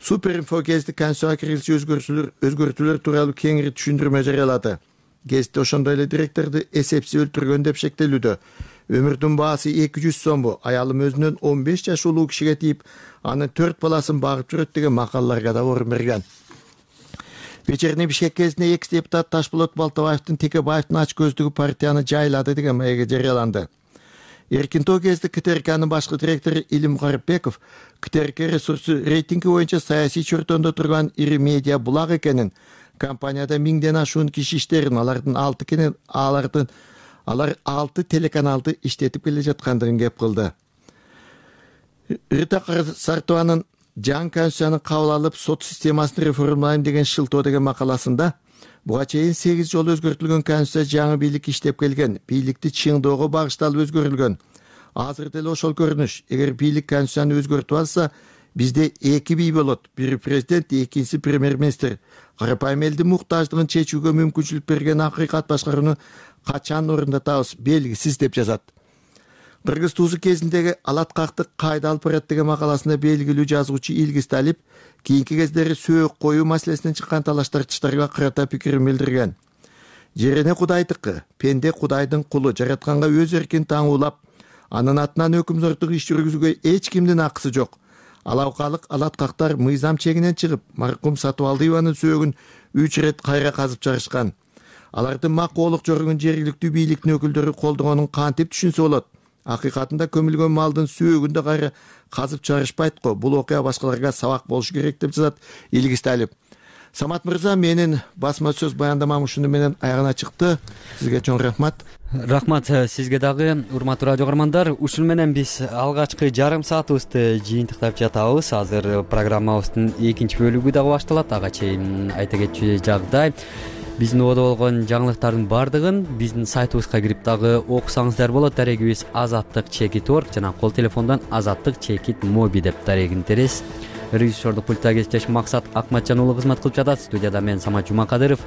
Суперинфо гезити конституцияга киргизүүчү өзгөртүүлөр тууралуу кеңири түшүндүрмө жарыялады. Гезитте ошондой эле директорду эсепсиз өлтүргөн деп шектелүүдө. Өмүрдүн баасы 200 сомбу, аялым өзүнөн 15 жаш улуу кишиге тийип, анын 4 баласын багып жүрөт деген макалаларга да орун берген. Вечерний Бишкек гезитине экс-депутат Ташболот Балтабаевдин Текебаевдин ач көздүгү партияны жайлады деген маеги жарыяланды. Эркинтоо гезити КТРКнын башкы директору Илим Карипбеков КТРК ресурсу рейтинги боюнча саясий чөртөндө турган ири медиа булак экенин, компанияда 1000ден ашуун киши иштерин, алар 6 телеканалды иштетип келе жаткандыгын кеп кылды. Рита Сартованын жаңы конституцияны кабыл алып, сот системасын реформалайм деген шылтоо деген макаласында буга чейин 8 жолу өзгөртүлгөн конституция жаңы бийлик иштеп келген, бийликти чыңдоого багышталып өзгөрүлгөн. Азыр деле ошол көрүнүш. Эгер бийлик конституцияны өзгөртүп алса, бизде 2 бий болот. Бири президент, экинчиси премьер-министр. Карапайым элдин муктаждыгын чечүүгө мүмкүнчүлүк берген акыйкат башкарууну качан орундатабыз белгисиз деп жазат. Кыргыз Тусу кезиндеги алаткактык кайда алып барат деген макаласында белгилүү жазуучу Илгиз Талип кийинки кездери сөөк коюу маселесинен чыккан талаш-тартыштарга карата пикирин билдирген. Жерене Кудайдыкы, пенде Кудайдын кулу, жаратканга өз эркин таңуулап, анын атынан өкүмзордук иш жүргүзүүгө эч кимдин акысы жок. Алаукалык алаткактар мыйзам чегинен чыгып, маркум Сатыбалдиеванын сөөгүн 3 ирет кайра казып чыгарышкан. Алардын макоолук жоругун жергиликтүү бийликтин өкүлдөрү колдогонун кантип түшүнсө болот? Акыйкатында көмүлгөн малдын сөөгүн да кайра казып чыгарышпайт го. Бул окуя башкаларга сабак болушу керек деп жазат Илгиз Талип. Самат мырза, менин басма сөз баяндамам ушуну менен аягына чыкты. Сизге чоң рахмат. Рахмат сизге дагы, урматтуу радио каармандар. Ушуну менен биз алгачкы жарым саатыбызды жыйынтыктап жатабыз. Азыр программабыздын экинчи бөлүгү дагы башталат. Ага чейин айта кетчү жагдай, биздин убада болгон жаңылыктардын баардыгын биздин сайтыбызга кирип дагы окусаңыздар болот. Дарегибиз azattik.org жана кол телефондон azattik.mobi деп дарегин терес. Режиссердук пультта кесиптешим Максат Акматжан уулу кызмат кылып жатат. Студияда мен Самат Жумакадыров.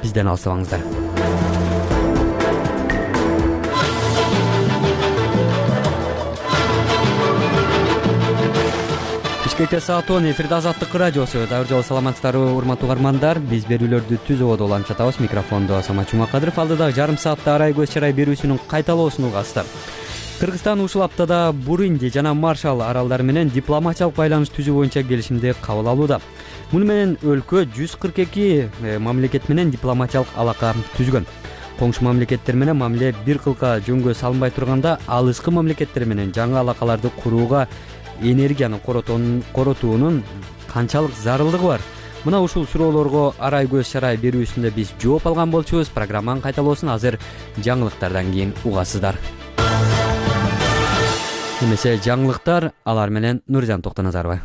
Бизден алыстабаңыздар. Бишкекте саат 10 эфирде Азаттык радиосу. Дагы жолу саламатсыздарбы, урматтуу каармандар. Биз берүүлөрдү түз убада улантып жатабыз. Микрофондо Самат Жумакадыров. Алдыдагы жарым саатта арай көз чарай берүүсүнүн кайталоосун угасыздар. Кыргызстан ушул аптада Бурунди жана Маршалл аралдары менен дипломатиялык байланыш түзүү боюнча келишимди кабыл алууда. Муну менен өлкө 142 мамлекет менен дипломатиялык алака түзгөн. Коңшу мамлекеттер менен мамиле бир кылка жөнгө салынбай турганда, алыскы мамлекеттер менен жаңы алакаларды курууга энергияны коротуунун канчалык зарылдыгы бар? Мына ушул суроолорго арай көз чарай берүүсүндө биз жооп алган болчубуз. Программанын кайталоосун азыр жаңылыктардан кийин угасыздар. Эмесе жаңылыктар, алар менен Нуржан Токтоназарова.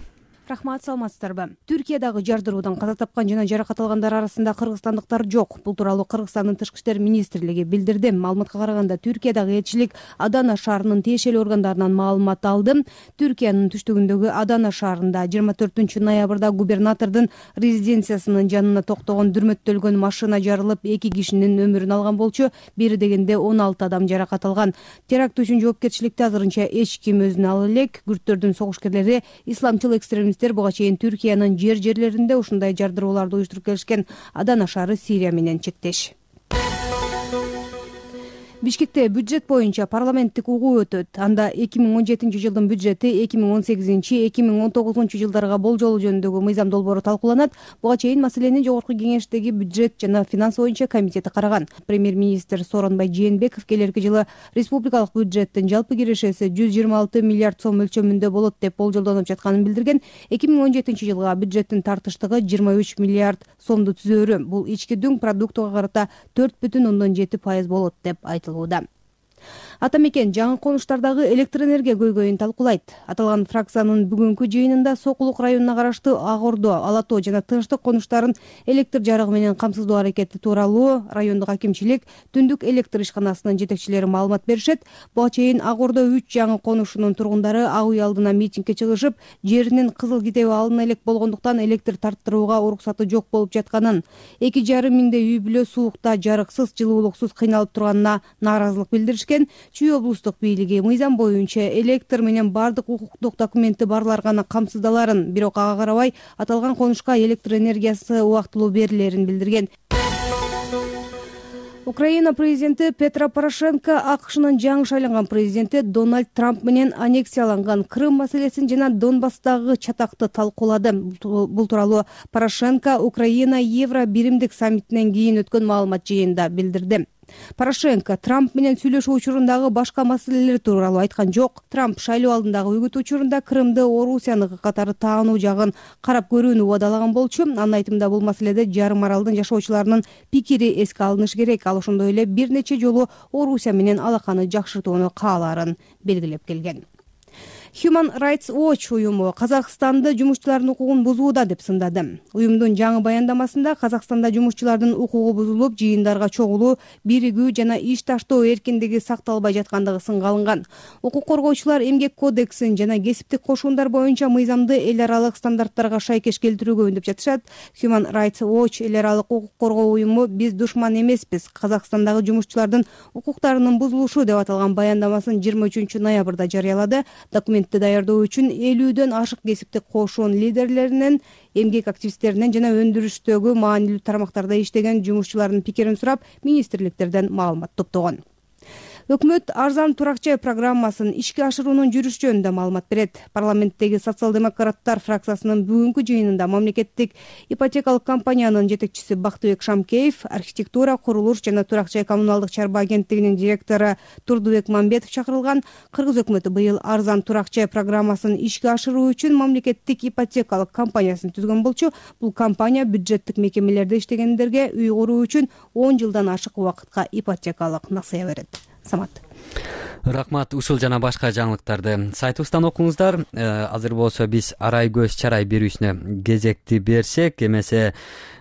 Рахмат, саламатсыздарбы. Түркиядагы жардыруудан каза тапкан жана жаракат алгандар арасында кыргызстандыктар жок. Бул тууралуу Кыргызстандын Тышкы иштер министрлиги билдирди. Маалыматка караганда, Түркиядагы элчилик Адана шаарынын тиешелүү органдарынан маалымат алды. Түркиянын түштүгүндөгү Адана шаарында 24-ноябрда губернатордун резиденциясынын жанына токтогон дүрмөттөлгөн машина жарылып, 2 кишинин өмүрүн алган болчу. Бери дегенде 16 адам жаракат алган. Теракт үчүн жоопкерчиликти азырынча эч ким өзүнө ала элек. Күрттөрдүн согушкерлери исламчыл экстремист буга чейин Түркиянын жерлеринде ушундай жардыроолорду уюштуруп келишкен. Адана шаары Сирия менен чектеш. Бишкекте бюджет боюнча парламенттик угуу өтөт. Анда 2017 жылдын бюджети 2018-2019 жылдарга болжолу жөнүндөгү мыйзам долбоору талкууланат. Буга чейин маселени жогорку кеңештеги бюджет жана финанс боюнча комитети караган. Премьер-министр Сооронбай Жээнбеков келерки жылы республикалык бюджеттин жалпы кирешеси 126 миллиард сом мөлчөмүндө болот деп болжолдонуп жатканын билдирген. 2017 жылга бюджеттин тартыштыгы 23 миллиард сомду түзөөрү. Бул ички дүң продуктуга карата 4,7% болот деп айтылды. Ата мекен жаңы конуштардагы электр энергия көйгөйүн талкуулайт. Аталган фракциянын бүгүнкү жыйынында Сокулук районуна караштуу Ак Ордо, Ала Тоо жана Тынчтык конуштарын электр жарыгы менен камсыздоо аракети тууралуу райондук акимчилик түндүк электр ишканасынын жетекчилери маалымат беришет. Буга чейин Ак Ордо 3 жаңы конушунун тургундары ак үй алдына митингге чыгышып, жеринин кызыл китеби алына элек болгондуктан электр тарттырууга уруксаты жок болуп жатканын, 2,5 миңдей үй бүлө суукта жарыксыз, жылуулуксуз кыйналып турганына нааразылык билдиришкен. Чүй облустук бийлиги мыйзам боюнча электр менен бардык укуктук документи барлар гана камсыздаларын, бирок ага карабай аталган конушка электр энергиясы убактылуу берилерин билдирген. Украина президенти Петро Порошенко АКШнын жаңы шайланган президенти Дональд Трамп менен аннексияланган Крым маселесин жана Донбасстагы чатакты талкуулады. Бул тууралуу Порошенко Украина Евро биримдик саммитинен кийин өткөн маалымат жыйынында билдирди. Порошенко Трамп менен сүйлөшүү учурундагы башка маселелер тууралуу айткан жок. Трамп шайлоо алдындагы үгүт учурунда Крымды Орусияныкы катары таануу жагын карап көрүүнү убадалаган болчу. Анын айтымында бул маселеде жарым аралдын жашоочуларынын пикири эске алынышы керек. Ал ошондой эле бир нече жолу Орусия менен алаканы жакшыртууну каалаарын белгилеп келген. Human Rights Watch уюму Казакстанды жумушчулардын укугун бузууда деп сындады. Уюмдун жаңы баяндамасында Казакстанда жумушчулардын укугу бузулуп, жыйындарга чогулуу, биригүү жана иш таштоо эркиндиги сакталбай жаткандыгы сынга алынган. Укук коргоочулар эмгек кодексин жана кесиптик кошуундар боюнча мыйзамды эл аралык стандарттарга шайкеш келтирүүгө үндөп жатышат. Human Rights Watch эл аралык укук коргоо уюму биз душман эмеспиз, Казакстандагы жумушчулардын укуктарынын бузулушу деп аталган баяндамасын 23 ноябрда жарыялады. Документ даярдоо үчүн 50дөн ашык кесиптик кошуун лидерлеринен, эмгек активисттеринен жана өндүрүштөгү маанилүү тармактарда иштеген жумушчулардын пикирин сурап, министрликтерден маалымат топтогон. Өкмөт арзан турак жай программасын ишке ашыруунун жүрүш жөнүндө маалымат берет. Парламенттеги социал-демократтар фракциясынын бүгүнкү жыйынында мамлекеттик ипотекалык компаниянын жетекчиси Бактыбек Шамкеев, архитектура, курулуш жана турак жай коммуналдык чарба агенттигинин директору Турдубек Мамбетов чакырылган. Кыргыз өкмөтү быйыл арзан турак жай программасын ишке ашыруу үчүн мамлекеттик ипотекалык компаниясын түзгөн болчу. Бул компания бюджеттик мекемелерде иштегендерге үй куруу үчүн 10 жылдан ашык убакытка ипотекалык насыя берет. Самат. Рахмат. Ушул жана башка жаңылыктарды сайтыбыздан окуңуздар. Азыр болсо биз арай көз чарай берүүсүнө кезекти берсек, эмесе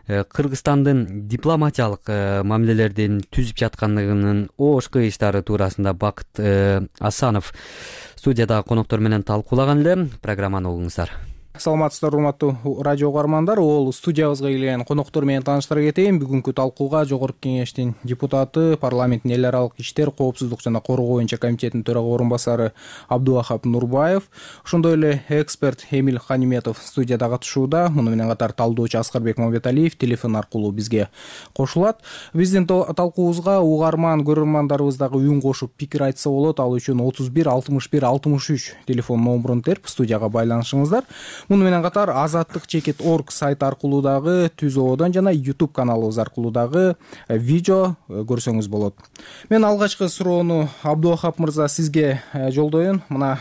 Кыргызстандын дипломатиялык мамилелердин түзүп жаткандыгынын ош кыйыштары туурасында Бакыт Асанов студияда коноктор менен талкуулаган эле. Программаны угуңуздар. Саламатсыздар, урматтуу радио угармандар. Ол студиябызга келген коноктор менен тааныштыра кетейин. Бүгүнкү талкууга Жогорку Кеңештин депутаты, парламенттин эл аралык иштер, коопсуздук жана коргоо боюнча комитетинин төрага орун басары Абдувахап Нурбаев, ошондой эле эксперт Эмил Ханиметов студияда катышууда. Муну менен катар талдоочу Аскарбек Мамбеталиев телефон аркылуу бизге кошулат. Биздин талкуубузга угарман көрөрмандарыбыз дагы үн кошуп пикир айтса болот. Ал үчүн 31 61 63 телефон номурун терип студияга байланышыңыздар. Муну менен катар azattik.org сайт аркылуу дагы, Түзөөдөн жана YouTube каналыбыз аркылуу дагы видео көрсөңүз болот. Мен алгачкы суроону Абдувахап мырза сизге жолдоюн. Мына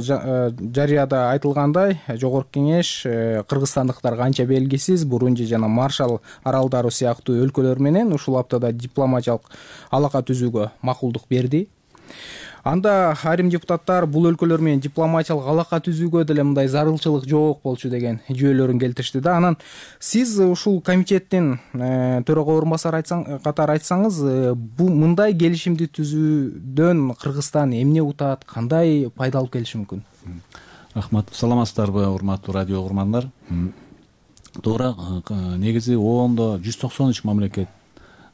жарыяда айтылгандай, Жогорку Кеңеш кыргызстандыктарга анча белгисиз Бурунди жана Маршалл аралдары сыяктуу өлкөлөр менен ушул аптада дипломатиялык алака түзүүгө макулдук берди. Анда айрым депутаттар бул өлкөлөр менен дипломатиялык алака түзүүгө деле мындай зарылчылык жок болчу деген жүйөлөрүн келтиришти да. Анан сиз ушул комитеттин төрага орун басары катары айтсаңыз, бул мындай келишимди түзүүдөн Кыргызстан эмне утат, кандай пайда алып келиши мүмкүн? Рахмат. Саламатсыздарбы, урматтуу радио угармандар? Туура, негизи ООНдо 193 мамлекет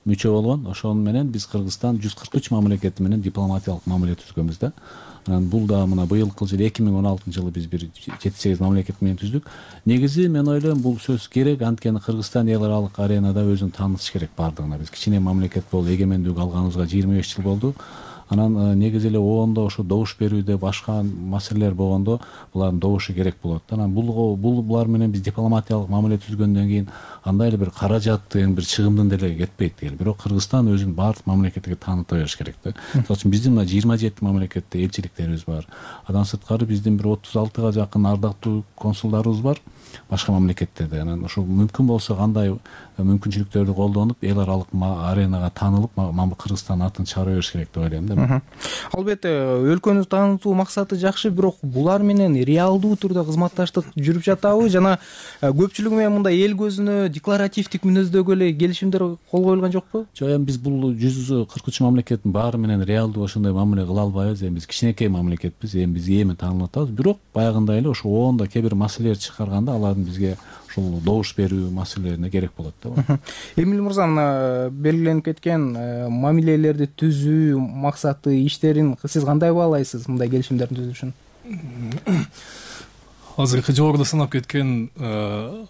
мүчө болгон. Ошон менен биз Кыргызстан 143 мамлекети менен дипломатиялык мамиле түзгөнбүз да. Анан бул да мына быйылкы жыл 2016 жылы биз бир 7-8 мамлекет менен түздүк. Негизи мен ойлойм бул сөз керек, анткени Кыргызстан эл аралык аренада өзүн таанытыш керек бардыгына. Биз кичине мамлекет болуп эгемендик алганыбызга 25 жыл болду. Анан негизи эле ООНдо ошо добуш берүүдө башка маселелер болгондо булардын добушу керек болот. Анан булар менен биз дипломатиялык мамиле түзгөндөн кийин андай эле бир каражаттын, бир чыгымдын деле кетпейт деген. Бирок Кыргызстан өзүн баардык мамлекетке тааныта бериш керек да. Мисалы үчүн биздин мына 27 мамлекетте элчиликтерибиз бар. Андан сырткары биздин бир 36га жакын ардактуу консулдарыбыз бар башка мамлекеттерде. Анан ошол мүмкүн болсо кандай мүмкүнчүлүктөрдү колдонуп эл аралык аренага таанылып, Кыргызстан атын чыгара бериш керек деп ойлойм да. Албетте, өлкөнү таанытуу максаты жакшы, бирок булар менен реалдуу түрдө кызматташтык жүрүп жатабы жана көпчүлүгү менен мындай эл көзүнө декларативдик мүнөздөгү эле келишимдер кол коюлган жокпу? Жок, эми биз бул 143 мамлекеттин баары менен реалдуу ошондой мамиле кыла албайбыз. Эми биз кичинекей мамлекетпиз, эми биз эми таанылып атабыз. Бирок баягындай эле ошо ООНдо кээ бир маселелер чыгарганда алардын бизге ушул добуш берүү маселелерине керек болот да. Эмил мырза, мына белгиленип кеткен мамилелерди түзүү максаты, иштерин сиз кандай баалайсыз, мындай келишимдердин түзүлүшүн? Азыркы жогоруда санап кеткен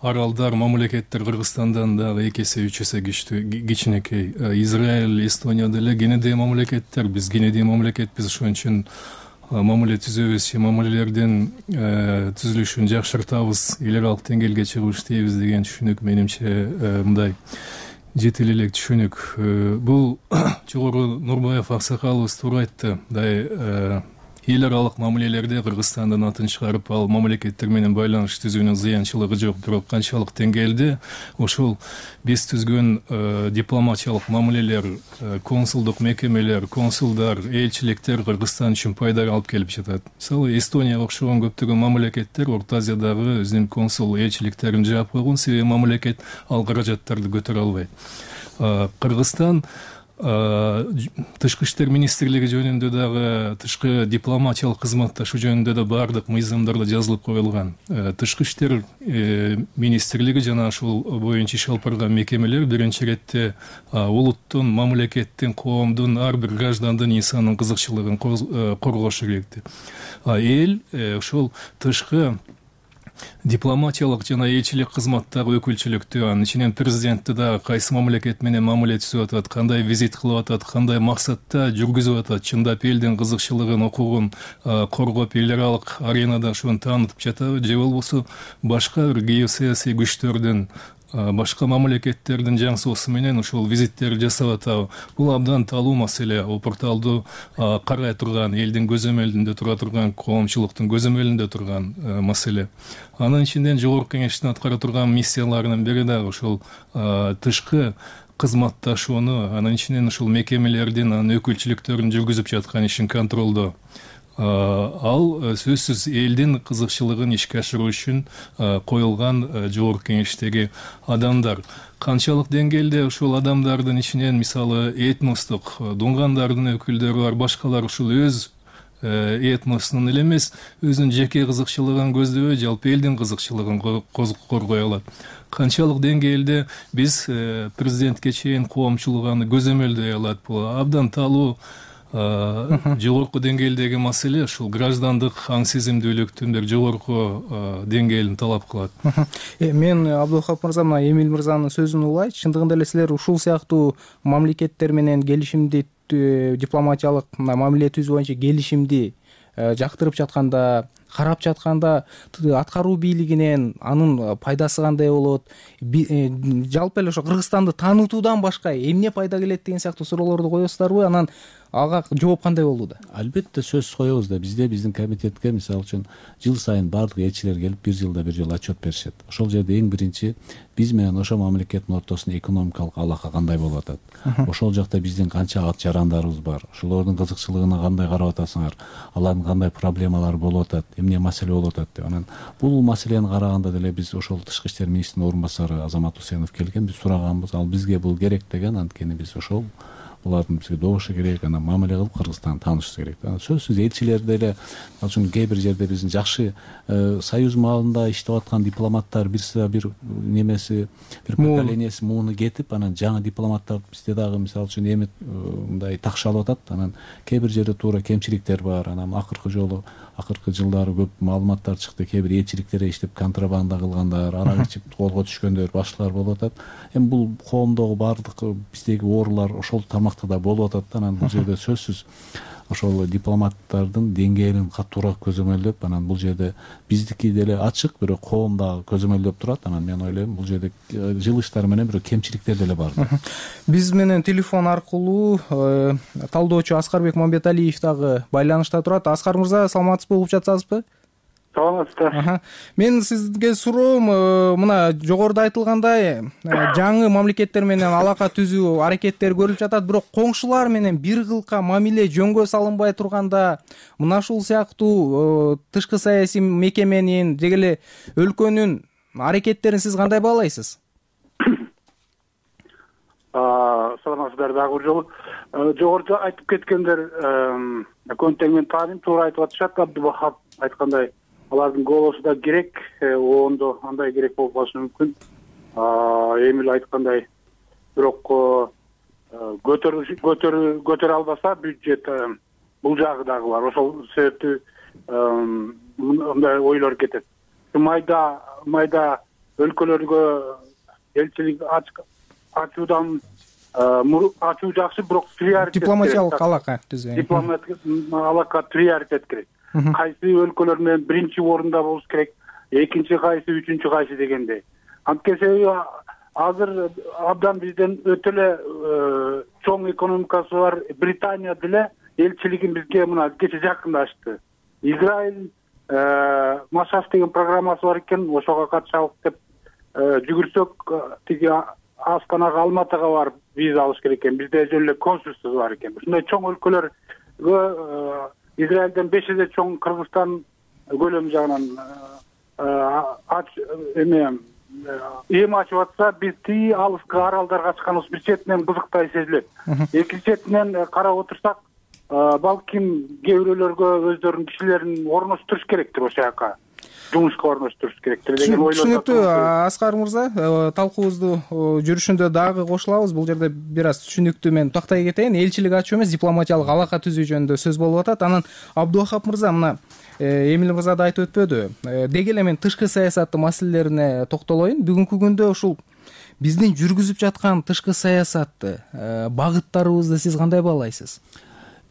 аралдар, мамлекеттер Кыргызстандан дагы 2 эсе 3 эсе кичинекей. Израиль, Эстония деле кенедей мамлекеттер, биз кенедей мамлекетпиз, ошон үчүн мамиле түзөбүз, мамилелердин түзүлүшүн жакшыртабыз, эл аралык деңгээлге чыгып иштейбиз деген түшүнүк менимче мындай жетил элек түшүнүк. Бул жогору Нурбаев аксакалыбыз туура айтты. Эл аралык мамилелерде Кыргызстандын атын чыгарып, ал мамлекеттер менен байланыш түзүүнүн зыянчылыгы жок. Бирок канчалык деңгээлде ошол биз түзгөн дипломатиялык мамилелер, консулдук мекемелер, консулдар, элчиликтер Кыргызстан үчүн пайда алып келип жатат. Мисалы, Эстонияга окшогон көптөгөн мамлекеттер Орто Азиядагы өзүнүн консул элчиликтерин жаап койгон, себеби мамлекет ал каражаттарды көтөрө албайт. Кыргызстан тышкы иштер министрлиги жөнүндө дагы, тышкы дипломатиялык кызматташуу жөнүндө да баардык мыйзамдарда жазылып коюлган. Тышкы иштер министрлиги жана ушул боюнча иш алып барган мекемелер биринчи иретте улуттун, мамлекеттин, коомдун, ар бир граждандын, инсандын кызыкчылыгын коргошу керек. Эл ушул тышкы Дипломатиялык жана элчилик кызматтагы өкүлчүлүктү, анын ичинен президентти да кайсы мамлекет менен мамиле түзүп атат, кандай визит кылып атат, кандай максатта жүргүзүп атат, чындап элдин кызыкчылыгын, укугун коргоп эл аралык аренада ошону таанытып жатабы, же болбосо башка бир геосаясий күчтөрдүн, башка мамлекеттердин жаңсоосу менен ушул визиттерди жасап атабы. Бул абдан талуу маселе. Порталду карай турган, элдин көзөмөлүндө тура турган, коомчулуктун көзөмөлүндө турган маселе. Анын ичинен жогорку кеңештин аткара турган миссияларынын бири дагы ушул тышкы кызматташууну, анын ичинен ушул мекемелердин, анын өкүлчүлүктөрүн жүргүзүп жаткан ишин контролдоо. Ал сөзсүз элдин кызыкчылыгын ишке ашыруу үчүн коюлган жогорку кеңештеги адамдар. Канчалык деңгээлде ушул адамдардын ичинен мисалы этностук дунгандардын өкүлдөрү бар, башкалар ушул өз этносунун эле эмес, өзүнүн жеке кызыкчылыгын көздөбөй, жалпы элдин кызыкчылыгын коргой алат. Канчалык деңгээлде биз президентке чейин коомчулук аны көзөмөлдөй алат. Бул абдан талуу жогорку деңгээлдеги маселе, ушул граждандык аң сезимдүүлүктүн бир жогорку деңгээлин талап кылат. Мен Абдулхап мырза, мына Эмиль мырзанын сөзүн улайт. Чындыгында эле силер ушул сыяктуу мамлекеттер менен келишимди, дипломатиялык мамиле түзүү боюнча келишимди жактырып жатканда, карап жатканда аткаруу бийлигинен анын пайдасы кандай болот? Жалпы эле ошо Кыргызстанды таанытуудан башка эмне пайда келет деген сыяктуу суроолорду коесуздарбы? Анан ага жооп кандай болду да? Албетте сөзсүз коебуз да. Бизде биздин комитетке мисалы үчүн жыл сайын баардык элчилер келип бир жылда бир жолу отчет беришет. Ошол жерде эң биринчи биз менен ошол мамлекеттин ортосунда экономикалык алака кандай болуп атат, ошол жакта биздин канча ат жарандарыбыз бар, ошолордун кызыкчылыгына кандай карап атасыңар, алардын кандай проблемалары болуп атат, эмне маселе болуп атат деп. Анан бул маселени караганда деле биз ошол тышкы иштер министринин орун басары Азамат Усенов келген, биз сураганбыз, ал бизге бул керек деген, анткени биз ошол булардын бизге добушу керек, анан мамиле кылып Кыргызстанды таанышыбыз керек. Сөзсүз элчилер деле, үчүн кээ бир жерде биздин жакшы союз маалында иштеп аткан дипломаттар бир немеси, бир поколениясы мууну кетип, анан жаңы дипломаттар бизде дагы мисалы үчүн эми мындай такшалып атат. Анан кээ бир жерде туура кемчиликтер бар. Анан акыркы жылдары көп маалыматтар чыкты. Кээ бир элчиликтерде иштеп контрабанда кылгандар, арак ичип колго түшкөндөр, башкалар болуп атат. Эми бул коомдогу баардык биздеги оорулар ошол тармакта да болуп атат. Анан бул жерде сөзсүз ошол дипломаттардын деңгээлин катуураак көзөмөлдөп, анан бул жерде биздики деле ачык, бирок коом дагы көзөмөлдөп турат. Анан мен ойлойм, бул жерде жылыштар менен бирок кемчиликтер деле бар. Биз менен телефон аркылуу талдоочу Аскарбек Мамбеталиев дагы байланышта турат. Аскар мырза, саламатсызбы, угуп жатсаңызбы? Саламатсыздар. Мен сизге суроом, мына жогоруда айтылгандай, жаңы мамлекеттер менен алака түзүү аракеттери көрүлүп жатат, бирок коңшулар менен бир кылка мамиле жөнгө салынбай турганда, мына ушул сыяктуу тышкы саясий мекеменин же эле өлкөнүн аракеттерин сиз кандай баалайсыз? Саламатсыздар дагы бир жолу. Жогоруда айтып кеткендер көнтең мен тааным туура айтып атышат. Абдулхап айткандай, алардын голосу да керек, оондо андай керек болуп калышы мүмкүн. Эмил айткандай, бирок көтөрө албаса бюджет, бул жагы дагы бар. Ошол себептүү мындай ойлор кетет. Майда өлкөлөргө элчилик ачуудан ачуу жакшы, бирок приоритет дипломатиялык алака түзүү. Дипломатиялык алака приоритет керек. Кайсы өлкөлөр менен биринчи орунда болуш керек, экинчи кайсы, үчүнчү кайсы дегендей. Анткени азыр абдан бизден өтө эле чоң экономикасы бар Британия деле элчилигин бизге мына кече жакында ачты. Израиль Машаш деген программасы бар экен, ошого катышалык деп жүгүрсөк, тиги Астанага, Алматыга барып виза алыш керек экен. Бизде жөн эле консульство бар экен. Ушундай чоң өлкөлөргө Израилден 5 эсе чоң Кыргызстан көлөмү жагынан эми ачып атса, биз тии алыскы аралдарга чыкканыбыз бир четинен кызыктай сезилет. Экинчи четинен карап отурсак, балким кээ бирөөлөргө өздөрүнүн кишилерин орноштуруш керектир ошол жака. жумушка орноштуруш керектир деген ойлор. Түшүнүктүү. Аскар мырза, талкуубузду жүрүшүндө дагы кошулабыз. Бул жерде бир аз түшүнүктүү мен токтой кетейин. Элчилик ачуу эмес, дипломатиялык алака түзүү жөнүндө сөз болуп атат. Анан Абдувахап мырза, мына Эмил мырза да айтып өтпөдү. Деги эле мен тышкы саясаты маселелерине токтолоюн. Бүгүнкү күндө ушул биздин жүргүзүп жаткан тышкы саясатты, багыттарыбызды сиз кандай баалайсыз?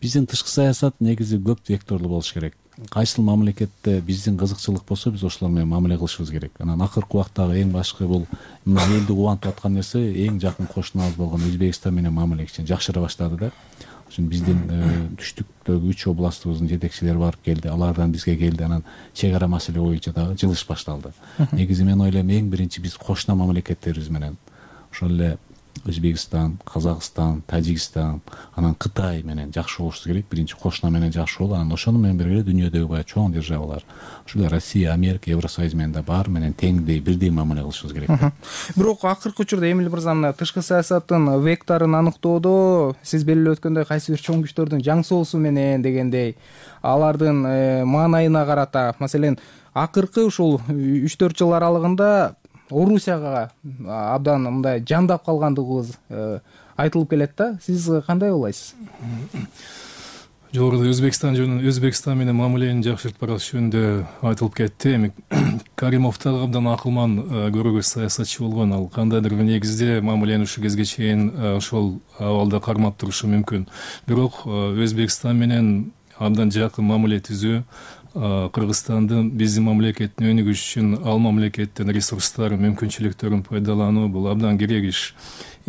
Биздин тышкы саясат негизи көп векторлуу болуш керек. Кайсыл мамлекетте биздин кызыкчылык болсо, биз ошолор менен мамиле кылышыбыз керек. Анан акыркы убактагы эң башкы бул мына элди кубантып аткан нерсе эң жакын кошунабыз болгон Өзбекстан менен мамиле кичине жакшыра баштады да. Ошон биздин түштүктөгү 3 областыбыздын жетекчилери барып келди, алардан бизге келди, анан чек ара маселе боюнча дагы жылыш башталды. Негизи мен ойлойм эң биринчи биз кошуна мамлекеттерибиз менен ошол эле Өзбекстан, Казакстан, Тажикстан, анан Кытай менен жакшы болушубуз керек. Биринчи кошуна менен жакшы болуп, анан ошону менен бирге дүйнөдөгү баягы чоң державалар, ошол эле Россия, Америка, Евросоюз менен да баары менен теңдей, бирдей мамиле кылышыбыз керек. Бирок акыркы учурда Эмил мырза, мына тышкы саясаттын векторун аныктоодо сиз белгилеп өткөндөй кайсы бир чоң күчтөрдүн жаң соосу менен дегендей, алардын маанайына карата, маселен, акыркы ушул 3-4 жыл аралыгында Орусияга абдан мындай жандап калгандыгыбыз айтылып келет да. Сиз кандай ойлойсуз? Жогоруда Өзбекстан менен мамилени жакшыртып барыш жөнүндө айтылып кетти. Эми Каримов дагы абдан акылман көрөгөз саясатчы болгон. Ал кандайдыр бир негизде мамилени ушул кезге чейин ошол абалда кармап турушу мүмкүн. Бирок Өзбекстан менен абдан жакын мамиле түзүү Кыргызстандын биздин мамлекеттин өнүгүшү үчүн ал мамлекеттин ресурстары, мүмкүнчүлүктөрүн пайдалануу бул абдан керек иш.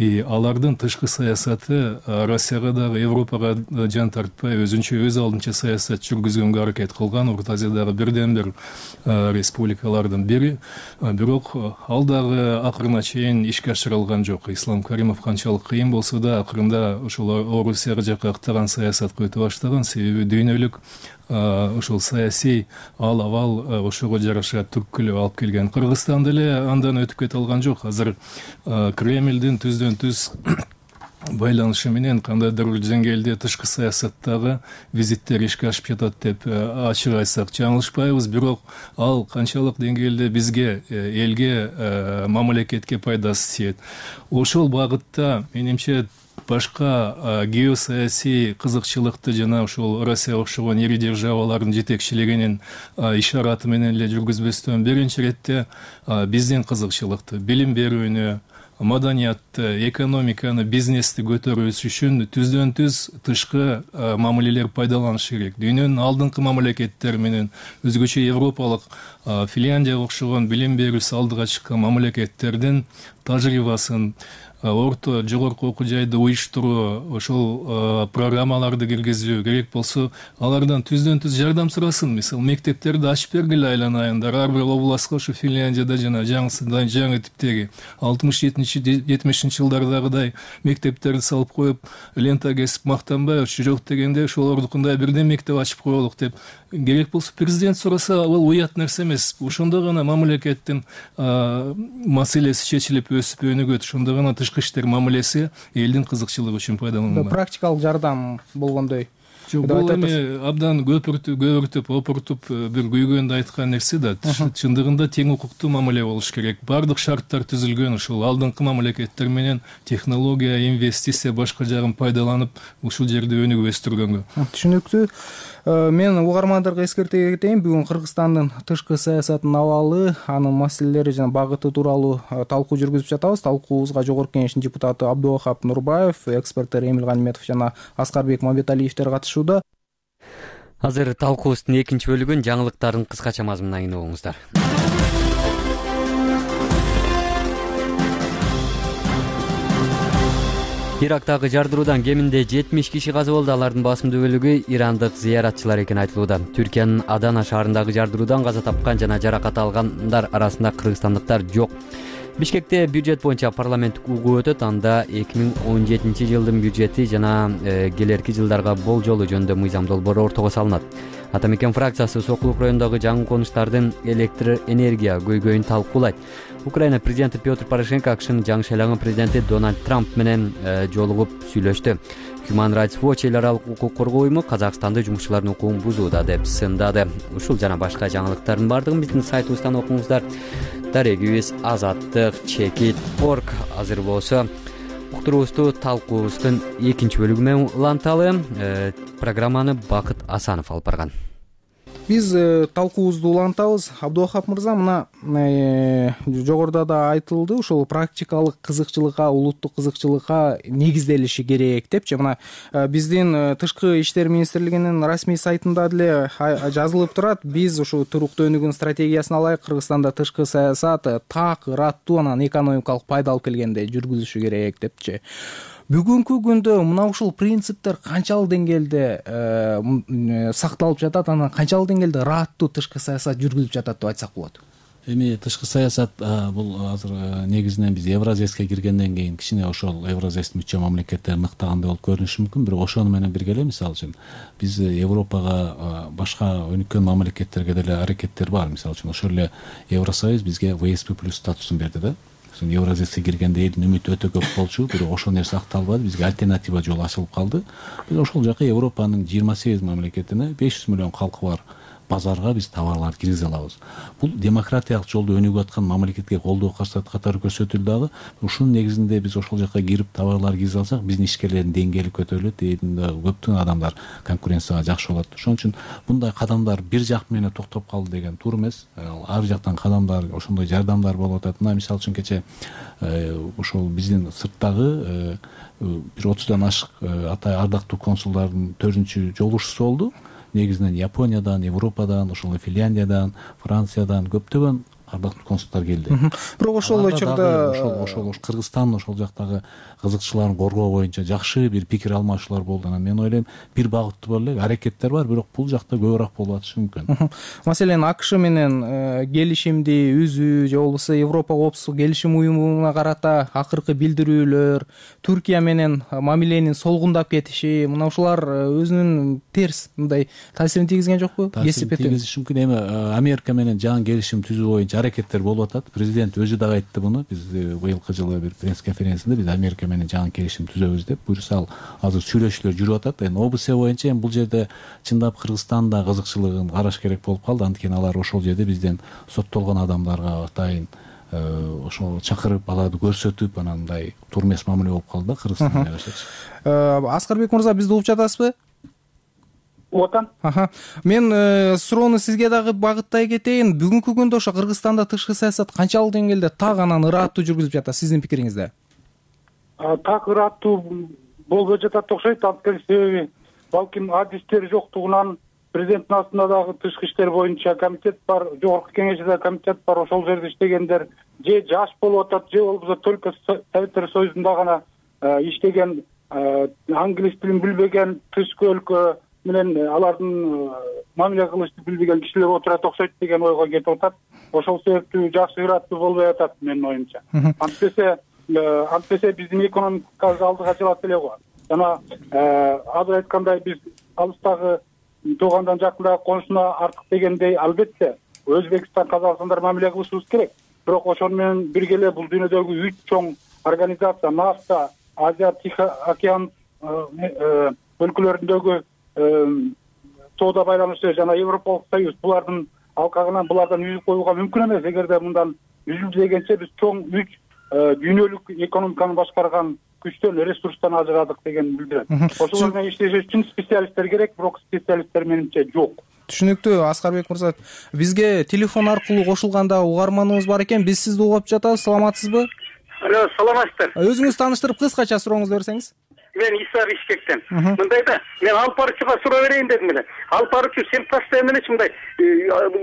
Алардын тышкы саясаты Россияга дагы, Европага жан тартпай, өзүнчө өз алдынча саясат жүргүзгөнгө аракет кылган Орто Азиядагы бирден бир республикалардын бири. Бирок ал дагы акырына чейин ишке ашырылган жок. Ислам Каримов канчалык кыйын болсо да, акырында ошол Орусияга жакка ыктаган саясатка өтө баштаган. Себеби дүйнөлүк ошол саясий ал абал ошого жараша түрткүлөп алып келген. Кыргызстан деле андан өтүп кете алган жок. Азыр Кремлдин түздөн-түз байланышы менен кандайдыр бир деңгээлде тышкы саясаттагы визиттер ишке ашып жатат деп ачык айтсак жаңылышпайбыз. Бирок ал канчалык деңгээлде бизге, элге, мамлекетке пайдасы тиет. Ошол багытта менимче башка геосаясий кызыкчылыкты жана ошол Россия окшогон ири державалардын жетекчилигинин ишараты менен эле жүргүзбөстөн, биринчи иретте биздин кызыкчылыкты, билим берүүнү, маданиятты, экономиканы, бизнести көтөрүүсү үчүн түздөн-түз тышкы мамилелер пайдаланышы керек. Дүйнөнүн алдыңкы мамлекеттери менен өзгөчө европалык Финляндияга окшогон билим берүүсү алдыга чыккан мамлекеттердин тажрыйбасын, орто жогорку окуу жайды уюштуруу, ошол программаларды киргизүү керек болсо, алардан түздөн-түз жардам сурасын. Мисалы, мектептерди ачып бергиле айланайындар. Ар бир областка ошо Финляндияда жана жаңы типтеги 60-70 жылдардагыдай мектептерди салып коюп, лента кесип мактанбай, ошо жок дегенде ошол ордукундай бирден мектеп ачып коелук деп керек болсо президент сураса, ал уят нерсе эмес. Ошондо гана мамлекеттин маселеси чечилип өсүп өнүгөт. Ошондо гана тышкы иштер мамилеси элдин кызыкчылыгы үчүн пайдаланылат. Практикалык жардам болгондой. Бул эми абдан көпүртүп, опуртуп бир күйгөндө айткан нерсе да. Чындыгында тең укуктуу мамиле болуш керек. Бардык шарттар түзүлгөн, ушул алдыңкы мамлекеттер менен технология, инвестиция башка жагын пайдаланып, ушул жерде өнүгүп өстүргөнгө. Түшүнүктүү. Мен угармандарга эскерте кетейин. Бүгүн Кыргызстандын тышкы саясатынын абалы, анын маселелери жана багыты тууралуу талкуу жүргүзүп жатабыз. Талкуубузга Жогорку Кеңештин депутаты Абдувахап Нурбаев, эксперттер Эмил Ганиметов жана Аскарбек Мамбеталиевдер катышууда. Азыр талкуубуздун экинчи бөлүгүн жаңылыктардын кыскача мазмунуна кийин угуңуздар. Ирактагы жардыруудан кеминде 70 киши каза болду. Алардын басымдуу бөлүгү ирандык зыяратчылар экени айтылууда. Түркиянын Адана шаарындагы жардыруудан каза тапкан жана жаракат алгандар арасында кыргызстандыктар жок. Бишкекте бюджет боюнча парламенттик угуу өтөт. Анда 2017 жылдын бюджети жана келерки жылдарга болжолу жөнүндө мыйзам долбоору ортого салынат. Ата мекен фракциясы Сокулук районундагы жаңы конуштардын электр энергия көйгөйүн талкуулайт. Украина президенти Петр Порошенко АКШнын жаңы шайланган президенти Дональд Трамп менен жолугуп сүйлөштү. Human Rights Watch эл аралык укук коргоо уюму Казакстанды жумушчулардын укугун бузууда деп сындады. Ушул жана башка жаңылыктардын бардыгын биздин сайтыбыздан окуңуздар. Дарегибиз Азаттык чекит орг. Азыр болсо уктуруубузду талкуубуздун экинчи бөлүгү менен уланталы. Программаны Бакыт Асанов алып барган. Биз талкуубузду улантабыз. Абдувахап мырза, мына жогоруда да айтылды, ушул практикалык кызыкчылыкка, улуттук кызыкчылыкка негизделиши керек депчи. Мына биздин Тышкы иштер министрлигинин расмий сайтында деле жазылып турат. Биз ушу туруктуу өнүгүүнүн стратегиясын алайык, Кыргызстанда тышкы саясат так, ыраттуу, анан экономикалык пайда алып келгенде жүргүзүшү керек депчи. Бүгүнкү күндө мына ушул принциптер канчалык деңгээлде сакталып жатат, анан канчалык деңгээлде ыраттуу тышкы саясат жүргүзүлүп жатат деп айтсак болот? Эми тышкы саясат бул азыр негизинен биз Евразияске киргенден кийин кичине ошол Евразияга мүчө мамлекеттер мыктагандай болуп көрүнүшү мүмкүн, бирок ошону менен бирге эле мисалы үчүн биз Европага башка өнүккөн мамлекеттерге деле аракеттер бар. Мисалы үчүн ошол эле Евросоюз бизге ВСП+ статусун берди да. Евразияга киргенде элдин үмүтү өтө көп болчу, бирок ошол нерсе акталбады, бизге альтернатива жол ачылып калды. Биз ошол жака Европанын 28 мамлекетине 500 миллион калкы бар базарга биз товарларды киргизе алабыз. Бул демократиялык жолдо өнүгүп аткан мамлекетке колдоо катары көрсөтүлдү дагы. Ушунун негизинде биз ошол жака кирип товарлар киргизе алсак, биздин ишкерлердин деңгээли көтөрүлөт, көптөгөн адамдар конкуренцияга жакшы болот. Ошон үчүн мындай кадамдар бир жак менен токтоп калды деген туура эмес. Ар жактан кадамдар, ошондой жардамдар болуп атат. Мына мисалы үчүн кече ошол биздин сырттагы бир 30дан ашык атай ардактуу консулдардын 4-чү жолугушуусу болду. Негизинен Япониядан, Европадан, ошол Финляндиядан, Франциядан көптөгөн ардактуу консулдар келди. Бирок ошол учурда ошол Кыргызстан ошол жактагы кызыкчыларын коргоо боюнча жакшы бир пикир алмашуулар болду. Анан мен ойлойм, бир багыттуу эле аракеттер бар, бирок бул жакта көбүрөөк болуп атышы мүмкүн. Маселен, АКШ менен келишимди үзүү же болбосо Европа коопсуздук келишим уюмуна карата акыркы билдирүүлөр, Түркия менен мамиленин солгундап кетиши, мына ушулар өзүнүн терс мындай таасирин тийгизген жокпу? Таасирин тийгизиши мүмкүн. Эми Америка менен жаңы келишим түзүү боюнча аракеттер болуп атат. Президент өзү дагы айтты буну. Биз быйылкы жылы бир пресс-конференцияда биз Америка менен жаңы келишим түзөбүз деп буюрса, азыр сүйлөшүүлөр жүрүп атат. Эми ОБС боюнча эми бул жерде чындап Кыргызстанда кызыкчылыгын караш керек болуп калды. Анткени алар ошол жерде бизден соттолгон адамдарга атайын ошол чакырып, аларды көрсөтүп, анан мындай туура эмес мамиле болуп калды да Кыргызстанда карашачы. Аскарбек мырза, бизди угуп жатасызбы? Отан. Мен суроону сизге дагы багыттай кетейин. Бүгүнкү күндө ошо Кыргызстанда тышкы саясат канчалык деңгээлде так анан ыраттуу жүргүзүлүп жатат сиздин пикириңизде? Так ыраттуу болбой жатат окшойт. Анткени себеби балким адистери жоктугунан президенттин астында дагы тышкы иштер боюнча комитет бар, жогорку кеңеште комитет бар, ошол жерде иштегендер же жаш болуп атат, же болбосо только Советтер Союзунда гана иштеген, англис тилин билбеген, тышкы өлкө менен алардын мамиле кылышты билбеген кишилер отурат окшойт деген ойго кетип атат. Ошол себептүү жакшы ыраттуу болбой атат менин оюмча. Антпесе биздин экономикабыз алдыга жылат эле го. Жана азыр айткандай биз алыстагы туугандан жакындагы конушуна артык дегендей, албетте Өзбекстан, Казакстандар мамиле кылышыбыз керек. Бирок ошону менен бирге эле бул дүйнөдөгү 3 чоң организация, НАФТА, Азия Тихий океан өлкөлөрүндөгү соода байланышы жана Европалык союз, булардын алкагынан булардан үзүп коюуга мүмкүн эмес. Эгерде мындан үзүлдү дегенче биз чоң 3 дүйнөлүк экономиканы башкарган күчтөн, ресурстан ажырадык деген билдирет. Ошолор менен иштеш үчүн специалисттер керек, бирок специалисттер менимче жок. Түшүнүктүү. Аскарбек мырза, бизге телефон аркылуу кошулганда угарманыбыз бар экен. Биз сизди угуп жатабыз. Саламатсызбы? Алло, саламатсыздар. Өзүңүз тааныштырып, кыскача сурооңузду берсеңиз. Мен Иса Бишкектен. Мындай да, мен алып баруучуга суроо берейин дедим эле. Алып баруучу сен постоянно эле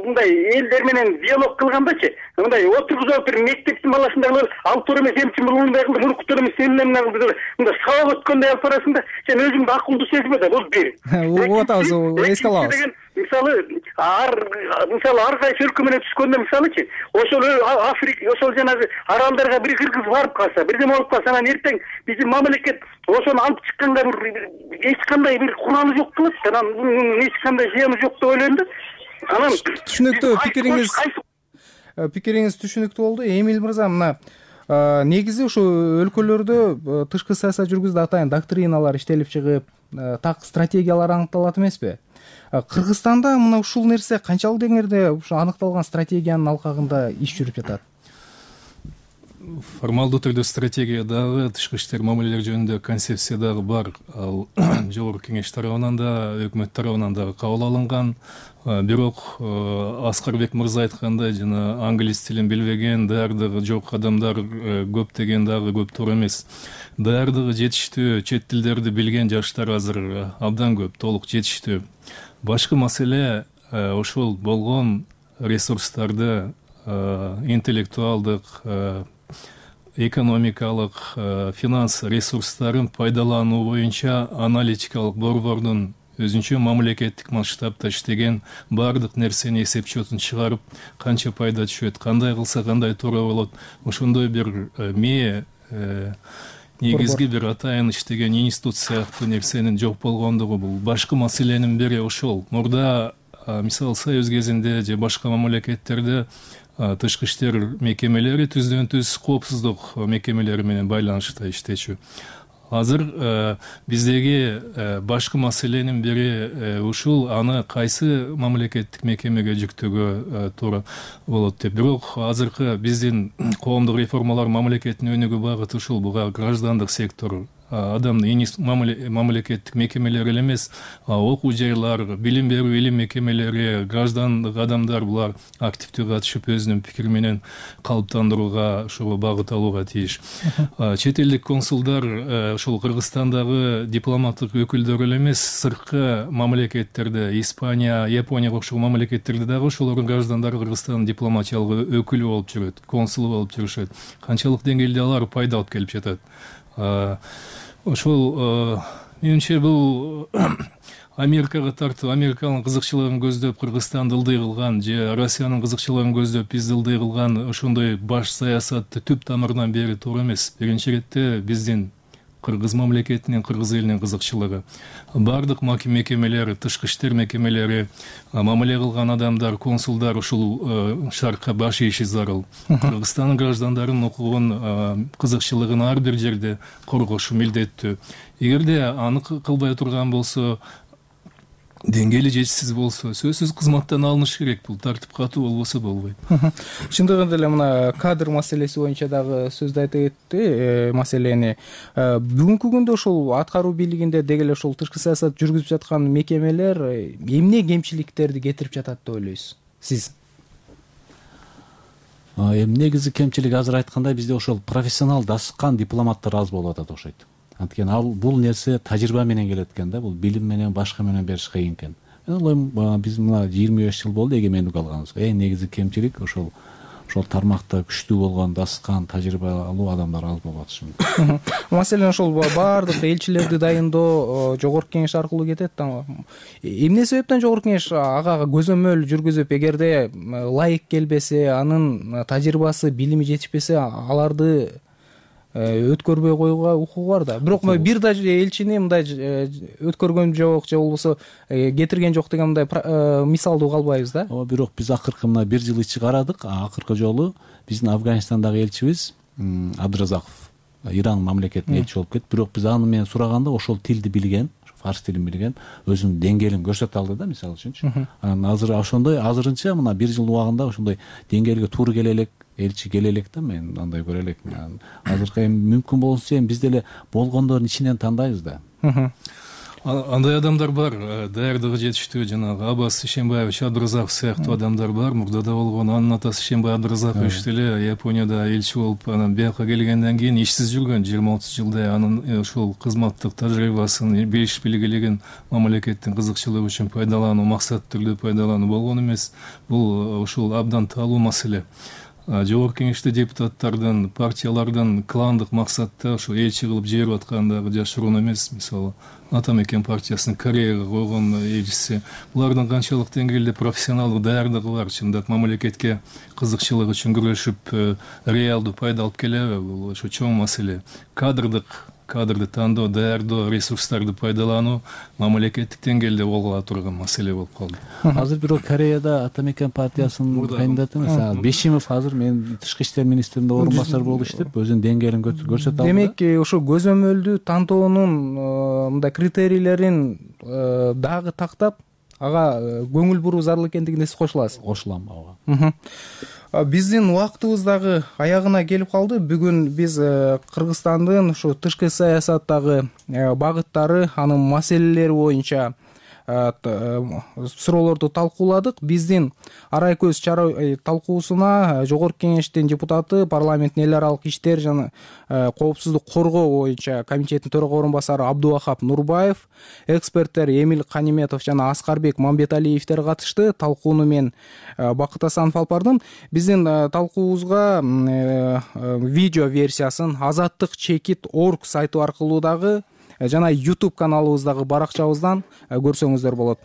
мындай элдер менен диалог кылгандачы, мындай отургузуп бир мектептин баласындагы алып туура эмес, эмчи мындай кылды, муну кутур эмес, сен эмне кылды, мындай сабак өткөндөй алып барасың да, сен өзүңдү акылдуу сезме да, бул бир. Угуп атабыз, эске алабыз. мисалы ар кайсы өлкө менен түшкөндө мисалычы ошол Африка ошол жанагы аралдарга бир кыргыз барып калса, бирдеме болуп калса, анан эртең биздин мамлекет ошону алып чыкканга эч кандай бир куралы жок кылат. Анан бунун эч кандай зыяны жок деп ойлойм да. Анан түшүнүктүү пикириңиз түшүнүктүү болду. Эмил мырза, мына негизи ушу өлкөлөрдө тышкы саясат жүргүзүүдө атайын доктриналар иштелип чыгып, так стратегиялар аныкталат эмеспи? Кыргызстанда мына ушул нерсе канчалык деңгээлде ушу аныкталган стратегиянын алкагында иш жүрүп жатат? Формалдуу түрдө стратегия дагы, тышкы иштер мамилелери жөнүндө концепция дагы бар. Ал жогорку кеңеш тарабынан да, өкмөт тарабынан дагы кабыл алынган. Бирок Аскарбек мырза айткандай, жана англис тилин билбеген, даярдыгы жок адамдар көп деген дагы көптөр эмес. Даярдыгы жетиштүү, чет тилдерди билген жаштар азыр абдан көп, толук жетиштүү. Башкы маселе ошол болгон ресурстарды интеллектуалдык, экономикалык, финанс ресурстарын пайдалануу боюнча аналитикалык борбордун өзүнчө мамлекеттик масштабта иштеген баардык нерсени эсеп-четин чыгарып, канча пайда түшөт, кандай кылса кандай туура болот, ошондой бир негизги бир атайын иштеген институт сыяктуу нерсенин жок болгондугу бул башкы маселенин бири ошол. Мурда мисалы Союз кезинде же башка мамлекеттерде тышкы иштер мекемелери түздөн-түз коопсуздук мекемелери менен байланышта иштечү. Азыр биздеги башкы маселенин бири ушул, аны кайсы мамлекеттик мекемеге жүктөөгө туура болот деп. Бирок азыркы биздин коомдук реформалар мамлекеттин өнүгүү багыты ушул. Буга граждандык сектор, адамдын мамлекеттик мекемелери эле эмес, окуу жайлар, билим берүү илим мекемелери, граждандык адамдар булар активдүү катышып өзүнүн пикири менен калыптандырууга, ошого багыт алууга тийиш. Чет элдик консулдар ошол Кыргызстандагы дипломаттык өкүлдөр эле эмес, сырткы мамлекеттерде, Испания, Японияга окшогон мамлекеттерде дагы ошолордун граждандары Кыргызстандын дипломатиялык өкүлү болуп жүрөт, консулу болуп жүрүшөт. Канчалык деңгээлде алар пайда алып келип жатат. Ошол менимче бул Америкага тартуу, Американын кызыкчылыгын көздөп Кыргызстанды ылдый кылган же Россиянын кызыкчылыгын көздөп бизди ылдый кылган ошондой баш саясатты түп тамырынан бери туура эмес. Биринчи иретте биздин Кыргыз мамлекетинин, кыргыз элинин кызыкчылыгы. Бардык мекемелери, тышкы иштер мекемелери, мамиле кылган адамдар, консулдар ушул шартка баш ийиши зарыл. Кыргызстандын граждандарынын укугун, кызыкчылыгын ар бир жерде коргошу милдеттүү. Эгерде аны кылбай турган болсо, деңгээли жетишсиз болсо, сөзсүз кызматтан алыныш керек. Бул тартип катуу болбосо болбойт. Чындыгында эле мына кадр маселеси боюнча дагы сөздү айтып кетти маселени. Бүгүнкү күндө ошол аткаруу бийлигинде деги эле ошол тышкы саясат жүргүзүп жаткан мекемелер эмне кемчиликтерди кетирип жатат деп ойлойсуз сиз? Негизи кемчилик азыр айткандай бизде ошол профессионал дасыккан дипломаттар аз болуп атат окшойт. Анткени бул нерсе тажрыйба менен келет экен да, бул билим менен башка менен бериш кыйын экен. Мен ойлойм, биз мына 25 жыл болду эгемендик алганыбызга. Эң негизи кемчилик ошол тармакта күчтүү болгон, дасыккан, тажрыйбалуу адамдар аз болуп атышы мүмкүн. Маселен ошол баардык элчилерди дайындоо жогорку кеңеш аркылуу кетет да. Эмне себептен жогорку кеңеш ага көзөмөл жүргүзүп, эгерде ылайык келбесе, анын тажрыйбасы, билими жетишпесе, аларды өткөрбөй коюуга укугу бар да. Бирок бир да элчини мындай өткөргөн жок же болбосо кетирген жок деген мындай мисалдуу калбайбыз да. Ооба, бирок биз акыркы мына 1 жыл ичи карадык. Акыркы жолу биздин Афганистандагы элчибиз Абдыразаков Иран мамлекетине элчи болуп кетти. Бирок биз аны менен сураганда ошол тилди билген, фарс тилин билген, өзүнүн деңгээлин көрсөтө алды да, мисалы үчүнчү. Анан азыр ошондой, азырынча мына 1 жыл убагында ошондой деңгээлге туура келе элек, элчи келе элек да, мен андай көрө элекмин. Азыркы мүмкүн болсо биз деле болгондордун ичинен тандайбыз да. Андай адамдар бар, даярдыгы жетиштүү, жанагы Аббас Ишембаевич Абдыразаков сыяктуу адамдар бар. Мурдада болгон анын атасы Ишембай Абдыразакович деле Японияда элчи болуп, анан бияка келгенден кийин ишсиз жүргөн 20-30 жылдай. Анын ошол кызматтык тажрыйбасын, билиш билгилигин мамлекеттин кызыкчылыгы үчүн пайдалануу, максаттуу түрдө пайдалануу болгон эмес. Бул ушул абдан таалуу маселе. жогорку кеңеште депутаттардын партиялардын кландык максатта ушу элчи кылып жиберип аткандыгы жашыруун эмес. Мисалы Атамекен партиясынын Кореяга койгон элчиси, булардын канчалык деңгээлде профессионалдык даярдыгы бар, чындап мамлекетке кызыкчылык үчүн күрөшүп реалдуу пайда алып келеби? Бул ошо чоң маселе. Кадрды тандоо, даярдоо, ресурстарды пайдалануу мамлекеттик деңгээлде болгула турган маселе болуп калды. Азыр бирок Кореяда Атамекен партиясынын кандидаты эмес, Бешимов азыр мен тышкы иштер министринин орун басары болуп иштеп, өзүнүн деңгээлин көрсөтө алды. Демек, ошо көзөмөлдүү тантоонун мындай критерийлерин дагы тактап, ага көңүл буруу зарыл экендигине сиз кошуласыз. Кошулам ага. Биздин убактыбыз дагы аягына келип калды. Бүгүн биз Кыргызстандын ушу тышкы саясаттагы багыттары, анын маселелери боюнча суроолорду талкууладык. Биздин арай көз чара талкуусуна жогорку кеңештин депутаты, парламенттин эл аралык иштер жана коопсуздук коргоо боюнча комитеттин төрага орун басары Абдувахап Нурбаев, эксперттер Эмил Каниметов жана Аскарбек Мамбеталиевдер катышты. Талкууну мен Бакыт Асанов алып бардым. Биздин талкуубузга видео версиясын azattik.org сайту аркылуу дагы жана YouTube каналыбыздагы баракчабыздан көрсөңүздөр болот.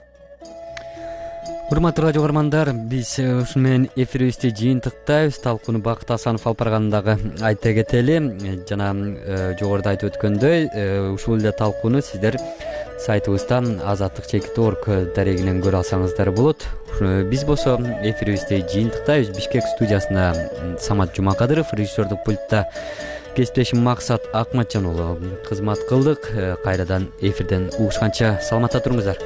Урматтуу радио көрөрмандар, биз ушуну менен эфирибизди жыйынтыктайбыз. Талкууну Бакыт Асанов алып баргандагы айта кетели. Жана жогоруда айтып өткөндөй, ушул эле талкууну сиздер сайтыбыздан azattik.org дарегинен көрө алсаңыздар болот. Биз болсо эфирибизди жыйынтыктайбыз. Бишкек студиясында Самат Жумакадыров, режиссердук пультта кесиптешим Максат Акматжан уулу кызмат кылдык. Кайрадан эфирден угушканча саламатта туруңуздар.